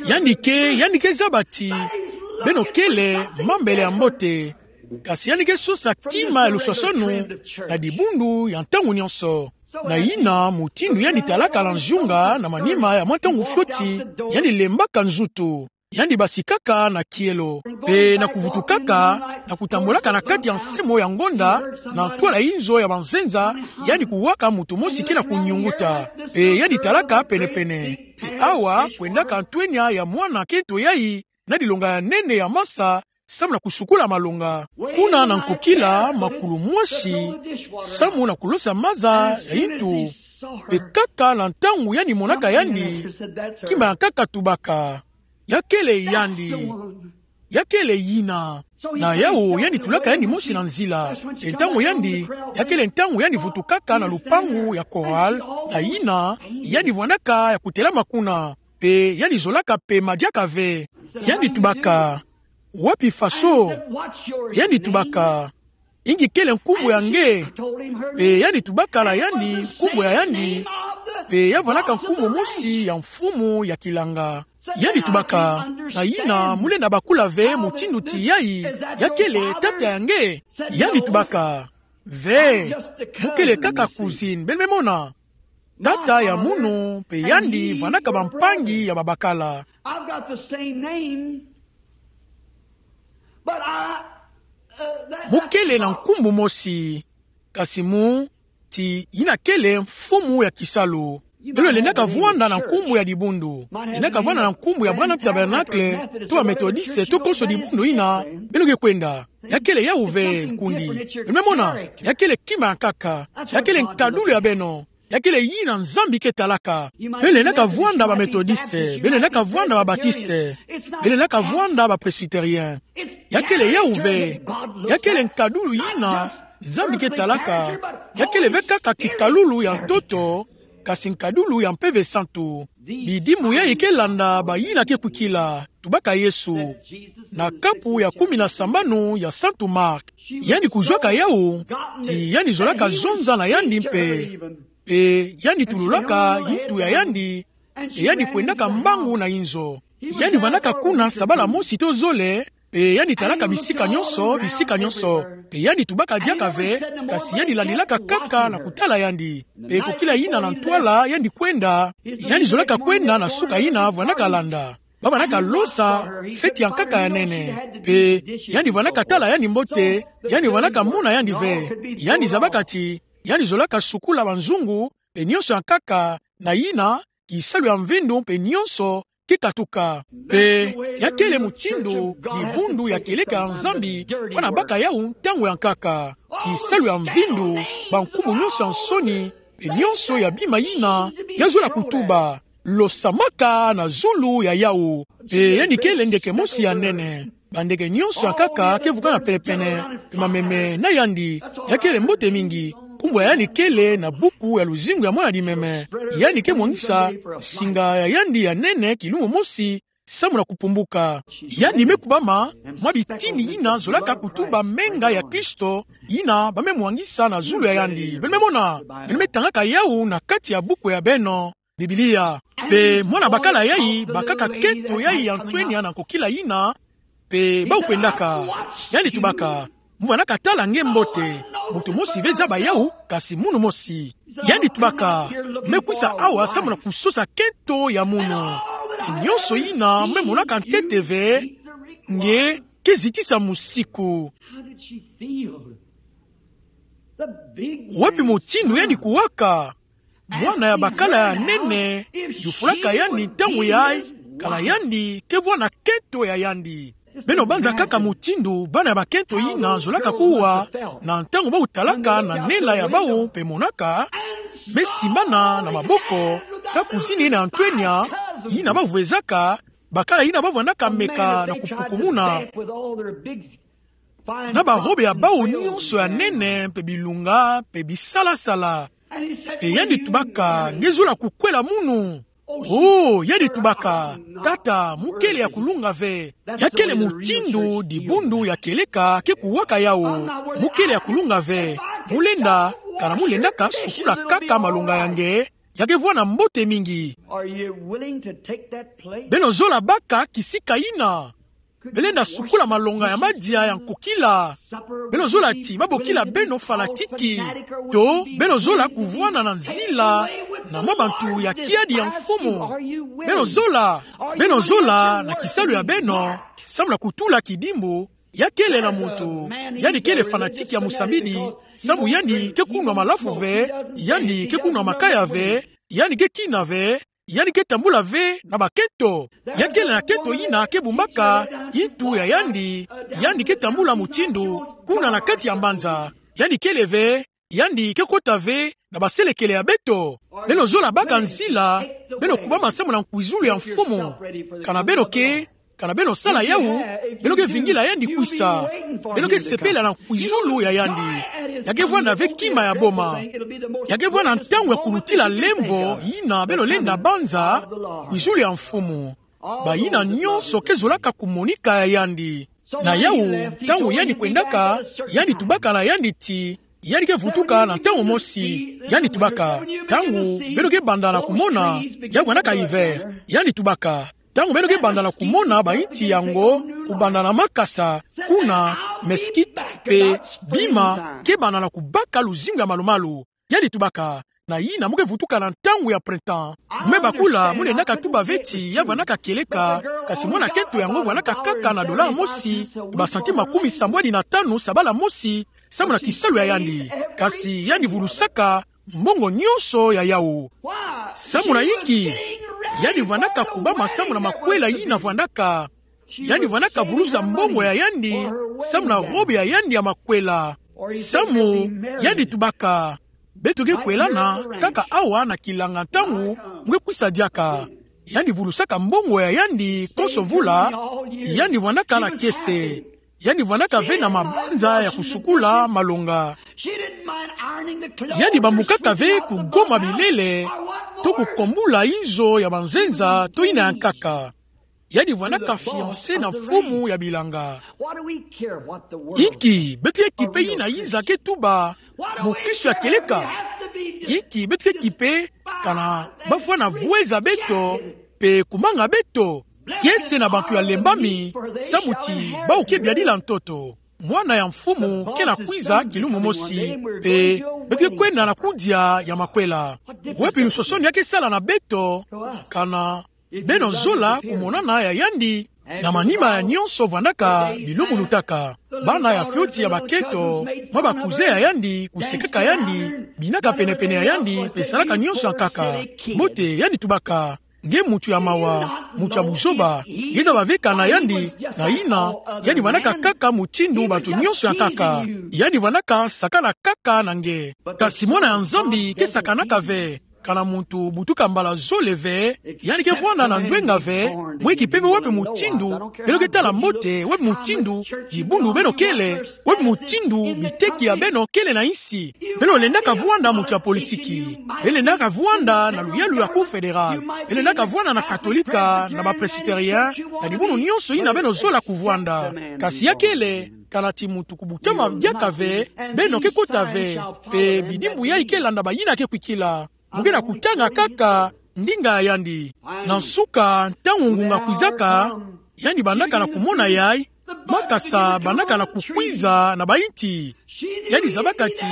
Yandi ke, yandi ke zaba ti beno kele mambele ya mbote. Kasi yandi ke sosa kima ya luswaswanu na dibundu ya ntangu nyonso. Na yina mutindu yandi talaka na nzunga na manima ya mwa ntangu fioti, yandi lembaka nzutu. Yandi basikaka na kielo. Pe na kuvutukaka, na kutambulaka na kati ya nsemo ya ngonda, na ntwala inzo ya banzenza, yandi kuwaka mutu mosi ke na kunyunguta. Pe yandi talaka penepene. Pe awa, kwendaka ntwenya ya mwana kento yayi, na dilonga ya nene ya masa, samu na kusukula malonga. Kuna na nkokila makulu mwasi, samu na kulosa maza ya yintu. Pe kaka na ntangu yandi monaka yandi, kima ya nkaka tubaka. Ya kele yandi. Ya kele yina. Na yau yandi tulaka yandi mosi na nzila. Pe ntangu yandi, ya kele ntangu yandi vutukaka na lupangu ya chorale, na yina, yandi vwandaka ya kutelama kuna. Pe yandi zolaka pema diaka ve. Yandi tubaka, wapi faso? Yandi tubaka, ingi kele nkumbu ya nge? Pe yandi tubaka na yandi nkumbu ya yandi. Pe ya vwandaka nkumbu mosi ya mfumu ya kilanga. Yandi tubaka, na yina mu lenda bakula ve mutindu ti yayi, ya kele tata ya nge? Yandi tubaka, ve, mu kele kaka cousine, beno me mona. Tata ya munu, pe yandi vwandaka bampangi ya babakala. I've got the same name, but I, uh, that, mu kele na nkumbu mosi, kasi mu, ti yina kele mfumu ya kisalu. Beno lendaka vwanda na nkumbu ya dibundu. Lendaka vwanda na nkumbu ya Branham Tabernacle, to ba Methodiste, to konso dibundu yina beno ke kwenda. Ya kele yau ve, nkundi. Beno me mona, ya kele kima ya nkaka. Ya kele nkadulu ya beno. Ya kele yina Nzambi ke talaka. Beno lendaka vwanda ba Methodiste, beno lendaka vwanda ba Batiste, beno lendaka vwanda ba Presbytérien. Ya kele yau ve, ya kele nkadulu yina Nzambi ke talaka. Ya kele ve kaka kikalulu ya ntoto, kasi nkadulu ya Mpeve Santu. Bidimu yayi ke landa bayina ke kwikila, tubaka Yesu. Na kapu ya kumi na sambanu ya Santu Marc. Yandi kuzwaka yau, ti yandi zolaka zonza na yandi mpe. Pe yandi tululaka yintu ya yandi, pe yandi kwendaka mbangu na inzo. Yandi vandaka kuna sabala mosi to zole, pe yandi talaka bisika nyonso, bisika nyonso. Pe yandi tubaka diaka ve, kasi yandi landilaka kaka na kutala yandi. Pe kokila yina na ntwala, yandi kwenda, yandi zolaka kwenda na suka yina vandaka landa. ba vandaka losa feti ya nkaka ya nene. Pe yandi vandaka tala yandi mbote, yandi vandaka mona yandi ve. Yandi zabaka ti yandi zolaka sukula banzungu, pe nionso ya nkaka, na yina kisalu ya mvindu pe nionso kikatuka. Pe ya kele mutindu dibundu ya kieleka ya Nzambi fwana baka yawu ntangu ya nkaka. Kisalu ya mvindu, bankumu nionso ya nsoni, pe nionso ya bima yina ya zola kutuba, losamaka na zulu ya yawu. Pe yandi kele ndeke mosi ya nene. Bandeke nionso ya nkaka ke vukana penepene, pe mameme na yandi. Ya kele mbote mingi. Nkumbu ya yandi kele na buku ya luzingu ya mwana-dimeme. Yandi ke mwangisa nsinga ya yandi ya nene kilumbu mosi, samu na kupumbuka. Yandi me kubama mwa bitini yina zolaka kutuba menga ya Kristo, yina ba me mwangisa na zulu ya yandi. Beno me mona, beno me tangaka yawu na kati ya buku ya beno, Biblia. Pe mwana bakala yayi bakaka kento yayi ya ntwenya na nkokila yina, pe bawu kwendaka. Yandi tubaka: Mu vandaka tala nge mbote. Muntu mosi ve zaba yawu, kasi munu mosi. Yandi tubaka: Me kwisa awa samu na kusosa kento ya munu. Pe nionso yina me monaka ntete ve, nge ke zitisa musiku. Wapi mutindu yandi kuwaka? Mwana ya bakala ya nene yufulaka yandi ntangu yayi, kana yandi ke vwanda kento ya yandi. Beno banza kaka mutindu bana ya bakento yina zolaka kuwa, na ntangu bawu talaka na nela ya bawu pe monaka, me simbana na maboko, ka kuzini na ntwenya yina ba vwezaka, bakala yina ba vwandaka meka na kupukumuna na barobe ya bawu nionso ya nene, pe bilunga, pe bisalasala. Pe yandi tubaka: Nge zola kukwela munu? Oh, yandi tubaka: Tata, mu kele ya kulunga ve. Ya kele mutindu dibundu ya kieleka ke kuwaka yawu. Mu kele ya kulunga ve. Mu lenda, kana mu lendaka sukula kaka malonga ya nge, ya ke vwanda mbote mingi. Are you willing to take that place? Beno zola baka kisika yina? Beno lenda sukula malonga ya madia ya nkokila? Beno zola ti ba bokila beno fanatiki? To beno zola kuvwanda na nzila na mwa bantu ya kiadi ya Mfumu? Beno zola, beno zola na kisalu ya beno, samu na kutula kidimbu, ya kele na muntu, yandi kele fanatiki ya musambidi, samu yandi ke kunwa malafu ve, yandi ke kunwa makaya ve, yandi ke kina ve, yandi ke tambula ve na bakento. Ya kele na kento yina ke bumbaka ntu ya yandi, yandi ke tambula mutindu kuna na kati ya mbanza. Yandi kele ve, yandi ke kota ve na baselekele ya beto. Beno zola baka nzila, beno kubama samu na nkwizulu ya Mfumu. Kana beno ke, kana beno sala yawu, beno ke vingila yandi kwisa. Beno ke sepela na nkwizulu ya yandi. Ya ke vwanda ve kima ya boma. Ya ke vwanda ntangu ya kulutila lemvo yina beno lenda banza, nkwizulu ya Mfumu. Bayina nionso ke zolaka kumonika ya yandi. Na yawu, ntangu yandi kwendaka, yandi tubaka na yandi ti yandi ke vutuka na ntangu mosi. Yandi tubaka: Ntangu beno ke banda na kumona, ya vwandaka hiver. Yandi tubaka: Ntangu beno ke banda na kumona bainti yango kubanda na makasa, kuna, meskit, pe bima ke banda na kubaka luzingu ya malumalu. Yandi tubaka: Na yina mu ke vutuka na ntangu ya printemps. Mu me bakula, mu lendaka tuba ve ti ya vwandaka kieleka, kasi mwana kento yango vwandaka kaka na dollar mosi, basantim makumisambwadi na tanu sabala mosi, samu na kisalu ya yandi. Kasi yandi vulusaka mbongo nionso ya yawu. Samu na inki? Yandi vwandaka kubama samu na makwela yina vwandaka. Yandi vwandaka vulusa mbongo ya yandi samu na robe ya yandi ya makwela. Samu yandi tubaka: Beto ke kwelana kaka awa na kilanga ntangu mu ke kwisa diaka. Yandi vulusaka mbongo ya yandi konso mvula. Yandi vwandaka na kiese. Yandi vwandaka ve na mabanza ya kusukula malonga. Yandi bambukaka ve kugoma bilele, to kukombula inzo ya banzenza, to yina ya nkaka. Yandi vwandaka fiancée na Mfumu ya bilanga. Inki beto ke kipe yina inza ke tuba, mukristu ya kieleka? Inki beto ke kipe, kana ba vwanda vweza beto, pe kumanga beto kiese na bantu ya lembami, samu ti bawu ke biadila ntoto? Mwana ya Mfumu ke na kwiza kilumbu mosi, pe beto ke kwenda na kudia ya makwela. Wapi lusosoni ya ke sala na beto, kana Beno zola kumonana ya yandi. Na manima ya nyonso vandaka bilumbu lutaka. Bana ya fioti ya bakento, mwa bakuze ya yandi, kusekaka yandi, binaka pene-pene ya yandi, pe salaka nyonso ya nkaka. Mbote, yandi tubaka: Nge muntu ya mawa, muntu ya buzoba, nge zaba ve kana yandi, na yina, yandi vandaka kaka mutindu bato nyonso ya nkaka. Yandi vandaka sakana kaka na nge. Kasi mwana ya Nzambi ke sakanaka ve. Kana muntu butuka mbala zole ve, yandi ke vwanda na ndwenga ve, mweki pe ve wapi mutindu, beno ke tala mbote, wapi mutindu dibundu beno kele, wapi mutindu biteki ya beno kele na nsi. Beno lendaka vwanda muntu ya politiki. Beno lendaka vwanda na luyalu ya Cour fédérale. Beno lendaka vwanda na Katolika, na ba Presbytérien, na dibundu nyonso yina beno zola kuvwanda. Kasi ya kele, kana ti muntu kubutama diaka ve, beno ke kota ve, pe bidimbu yayi ke landa bayina ke kwikila. Mu ke na kutanga kaka ndinga ya yandi. Na nsuka, ntangu ngunga kwizaka, yandi bandaka na kumona yayi, makasa bandaka na kukwiza na bayinti. Yandi zabaka ti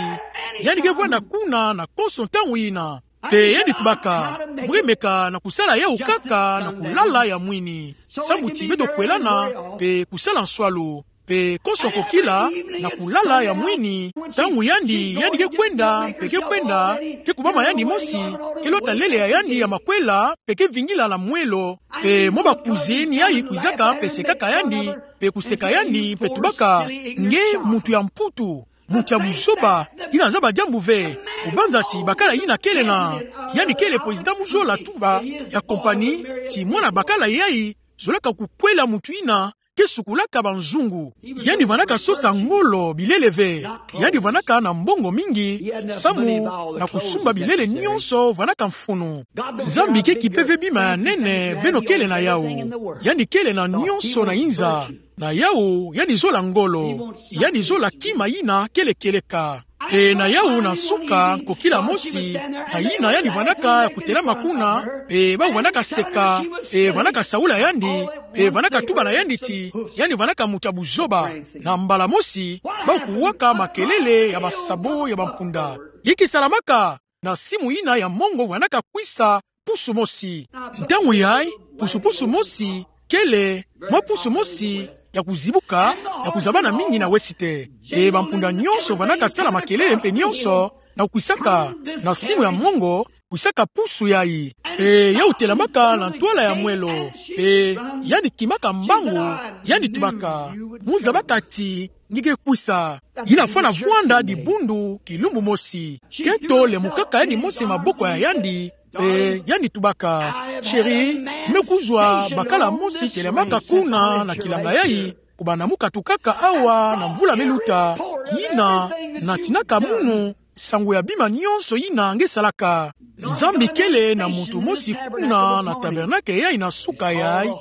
yandi ke vwanda kuna na konso ntangu yina. Pe yandi tubaka: Mu ke meka na kusala yawu kaka na kulala ya mwini, sambu ti beto kwelana, pe kusala nswalu. Pe konso kokila, na kulala ya mwini, ntangu yandi, yandi ke kwenda, pe ke kwenda, ke kubama yandi mosi, ke lota lele ya yandi ya makwela, pe ke vingila na mwelo, pe mwa bakuze ni yayi kwizaka pe sekaka yandi, pe kuseka yandi, pe tubaka: Nge muntu ya mputu, muntu ya buzoba, yina zaba diambu ve, kubanza ti bakala yina kele na, yandi kele président mu zola tuba ya compagnie, ti mwana bakala yayi zolaka kukwela muntu yina ke sukulaka banzungu. Yandi vandaka sosa ngolo bilele ve. Yandi vandaka na mbongo mingi, samu na kusumba bilele nyonso vandaka mfunu. Nzambi ke kipe ve bima ya nene beno kele na yawu. Yandi kele na nyonso na inza. Na yawu, yandi zola ngolo. Yandi zola kima yina kele kieleka. Pe na yawu na nsuka, nkokila mosi, na yina yandi vandaka kutelama kuna, pe bawu vandaka seka, pe vandaka saula yandi, pe vandaka tuba na yandi ti yandi vandaka muntu ya buzoba. Na mbala mosi, bawu kuwaka makelele ya basabo ya bampunda. Inki salamaka? Na simu yina ya mongo vandaka kwisa pusu mosi. Ntangu yayi, pusu-pusu mosi kele mwa pusu mosi ya kuzibuka, ya kuzabana mingi na wesite. E bampunda nyonso vandaka sala makelele mpe nyonso, na kwisaka, na simu ya mongo, kwisaka pusu yayi. Pe yawu telamaka na ntwala ya mwelo. Pe yandi kimaka mbangu, yandi tubaka: Mu zabaka ti nge ke kwisa. Yina fwana vwanda dibundu kilumbu mosi. Kento lemukaka yandi mosi maboko ya yandi, pe yandi tubaka: Chéri, me kuzwa bakala mosi telamaka kuna na kilanga yayi, kubanda mu katukaka awa na mvula me luta, yina natinaka munu nsangu ya bima nyonso yina nge salaka. Nzambi kele na muntu mosi kuna na tabernakle yayi na nsuka yayi,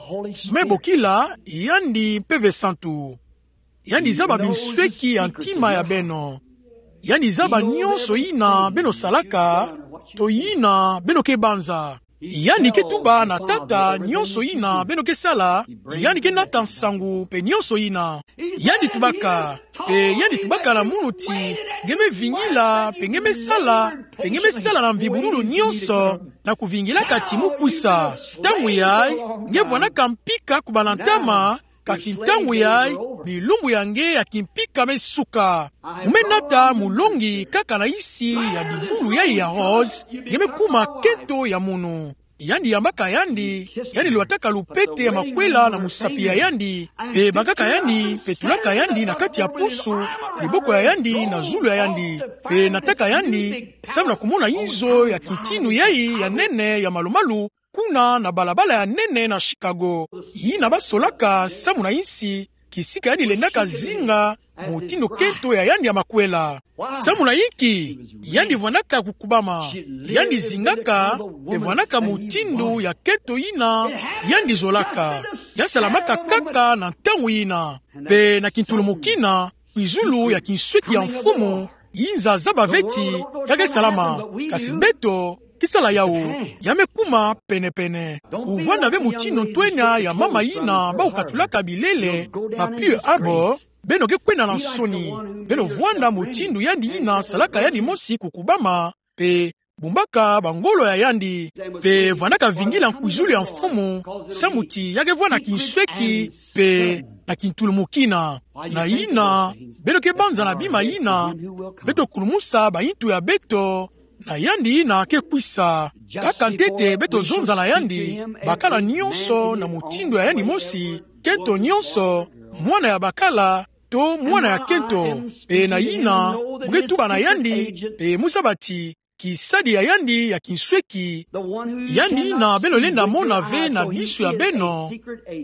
me bokila yandi Mpeve Santu. Yandi zaba binsweki ya ntima ya beno. Yandi zaba nyonso yina beno salaka, to yina beno ke banza. Yandi ke tuba na Tata nyonso yina beno ke sala, yandi ke nata nsangu mpe nyonso yina. Yandi tubaka, pe yandi tubaka na munu ti nge me vingila, pe nge me sala, pe nge me sala na mvibululu nyonso, na kuvingilaka ti mu kwisa. Ntangu yayi, nge vwanaka mpika kubanda ntama, kasi ntangu yayi, bilumbu ya nge ya kimpika me suka. Mu me nata mulongi kaka na nsi ya dibulu yayi ya rose, nge me kuma kento ya munu. Yandi yambaka yandi, yandi lwataka lupete ya makwela na musapi ya yandi, pe bakaka yandi, pe tulaka yandi na kati ya pusu, diboko ya yandi na zulu ya yandi, pe nataka yandi, samu na kumona inzo ya kintinu yayi ya nene ya malu-malu, kuna na balabala ya nene na Chicago, yina basolaka samu na nsi, kisika yandi lendaka zinga mutindu kento ya yandi ya makwela. Samu na inki? Yandi vwanaka kukubama, yandi zingaka, pe vwanaka mutindu ya kento yina yandi zolaka. Ya salamaka kaka na ntangu yina, pe na kintulumukina, kwizulu ya kinsweki ya Mfumu, inza zaba ve ti ka ke salama, kasi beto ke sala yawu, ya me kuma pene-pene. Kuvwanda ve mutindu ntwenya ya mama yina bawu katulaka bilele na Pearl Harbor, beno ke kwenda na nsoni, beno vwanda mutindu yandi yina salaka yandi mosi kukubama, pe bumbaka bangolo ya yandi, mpe vandaka vingila nkwizulu ya mfumu, samu ti ya ke vwa na kinsweki, mpe na kintulumukina. Na yina, beno ke banza na bima yina, beto kulumusa bayintu ya beto, na yandi yina ke kwisa. Kaka ntete beto zonza na yandi, bakala nyonso na mutindu ya yandi mosi, kento nyonso, mwana ya bakala, to mwana ya kento. Mpe na yina, mu ke tuba na yandi, mpe mu zaba ti, kisadi ya yandi ya kinsweki, yandi yina beno lenda mona ve na bisu ya beno,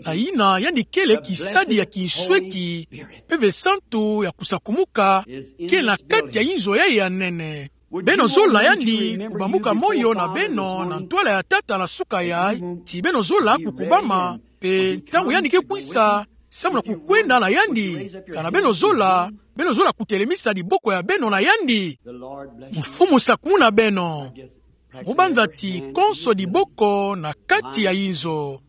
na yina yandi kele kisadi ya kinsweki, Mpeve Santu ya kusakumuka, ke na kati ya inzo yayi ya nene. Beno zola yandi kubambuka moyo na beno na ntwala ya Tata na suka yayi, ti beno zola kukubama, mpe ntangu yandi ke kwisa, samu na kukwenda na yandi, kana beno zola, beno zola kutelemisa diboko ya beno na yandi. Mfumu sakumuna beno. Mu banza ti konso diboko na kati ya inzo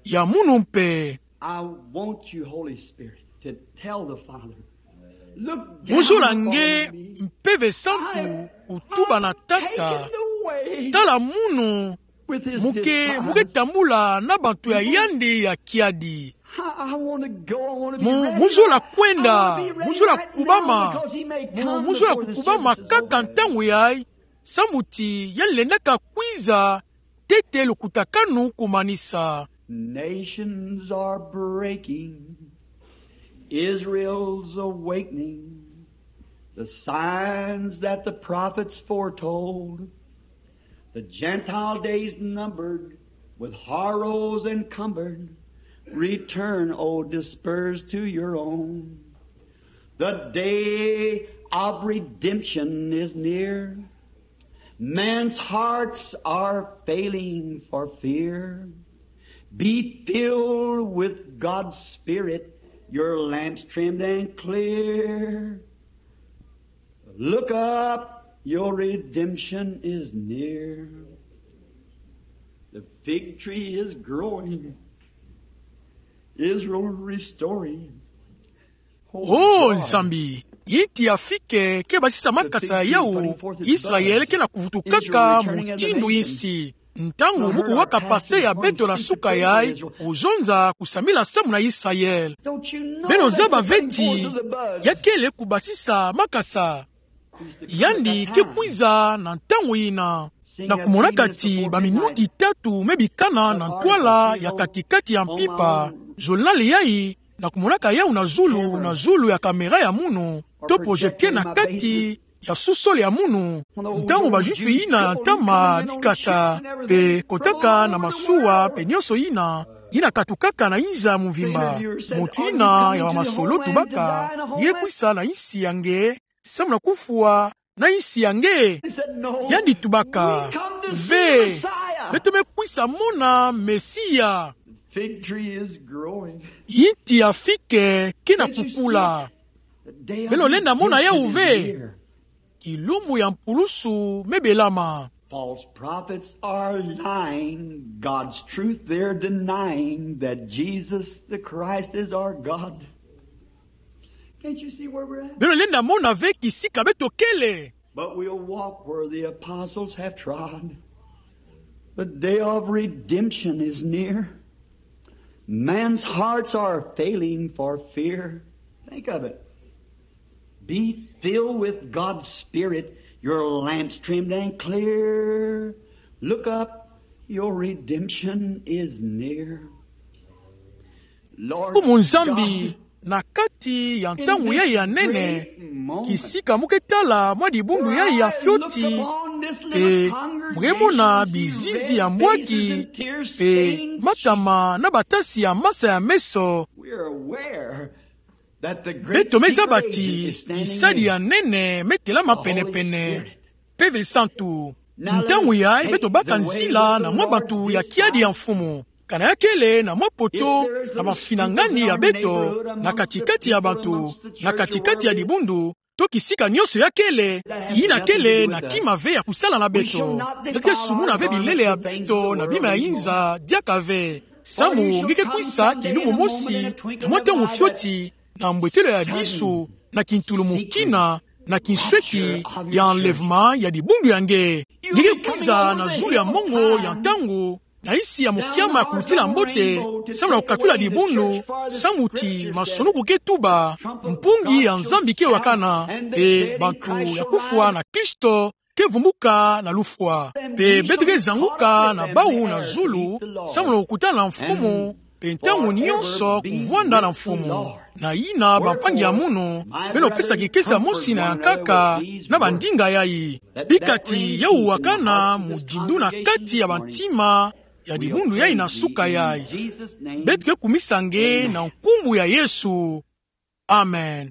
ya munu mpe. I want you, Holy Spirit, to tell the Father. Look down upon me. Mu zola nge, Mpeve Santu, kutuba na Tata. I've taken the way. Tala munu, with his disciples. Mu ke, mu ke tambula na bantu ya yandi ya kiadi. I, I want to go, I want to be ready. Mu, mu zola kwenda, I want to be ready right now, mu zola kubama, because he may come before the service is over. Mu, mu zola kukubama kaka ntangu yayi, samu ti yandi lendaka kwiza, ntete lukutakanu kumanisa. Nations are breaking. Israel's awakening. The signs that the prophets foretold. The Gentile days numbered, with horrors encumbered. Return, O dispersed, to your own. The day of redemption is near. Man's hearts are failing for fear. Be filled with God's Spirit, your lamps trimmed and clear. Look up, your redemption is near. The fig tree is growing. Israel restoring. O Nzambi, yi nti ya fike ke basisa makasa yawu, Israel ke na kuvutukaka mutindu insi. Ntangu mu kuwaka pase ya beto na suka yayi, kuzonza kusambila samu na Israel. Beno zaba ve ti, ya kele kubasisa makasa. Yandi ke kwiza na ntangu yina. Na kumonaka ti baminuti tatu me bikana na ntwala ya kati-kati ya mpimpa, journal yayi, na kumonaka yawu na zulu, na zulu ya caméra ya munu, to projecteur na kati ya sous-sol ya munu. Ntangu ba-Juif yina ya ntama dikata, mpe kotaka na masuwa, mpe nyonso yina, yina katukaka na inza ya mvimba. Muntu yina ya bamasolo tubaka, ye kwisa na insi ya nge, samu na kufwa na insi ya nge. Yandi tubaka, ve, beto me kwisa mona Mesia. Yi nti ya fike ke na kukula. Beno lenda mona yawu ve. Kilumbu ya mpulusu me belama. False prophets are lying God's truth. They're denying that Jesus the Christ is our God. Can't you see where we're at? Beno lenda mona ve kisika beto kele. But we'll walk where the apostles have trod. The day of redemption is near. Man's hearts are failing for fear. Think of it. Be filled with God's Spirit, your lamps trimmed and clear. Look up, your redemption is near. Lord Mfumu Nzambi, God, na kati ya ntangu yayi ya nene, kisika mu ke tala mwa dibundu yayi ya fioti, mpe mu ke mona bizizi ya mbwaki, mpe matama na batasi ya masa ya meso. Beto me zaba ti kisadi ya nene me telama penepene. Mpeve Santu. Ntangu yayi beto baka nzila na mwa bantu ya kiadi ya Mfumu. Kana ya kele na mwa potopoto na mafinangani ya beto, na kati-kati ya bantu, na kati-kati ya dibundu, to kisika nyonso ya kele, yina kele na kima ve ya kusala na beto. Beto ke sumuna ve bilele ya beto na bima ya inza diaka ve. Samu nge ke kwisa kilumbu mosi, na mwa ntangu fioti, na mbwetelo ya disu, na kintulumukina, na kinsweki ya enlèvement ya dibundu ya nge. Nge ke kwiza na zulu ya mongo ya ntangu, na nsi ya mukiama ya kulutila mbote, samu na kukakula dibundu, samu ti masonu kuke tuba, mpungi ya Nzambi ke wakana, mpe bantu ya kufwa na Kristo ke vumbuka na lufwa. Mpe beto ke zanguka na bawu na zulu, samu na kukutana na Mfumu, mpe ntangu nyonso kuvwanda na Mfumu. Na yina bampangi ya munu, beno pesa kikesa mosi na ya nkaka, na bandinga yayi. Bika ti yawu wakana muzindu na kati ya bantima ya dibundu yayi na suka yayi. Beto ke kumisa nge na nkumbu ya Yesu. Amen.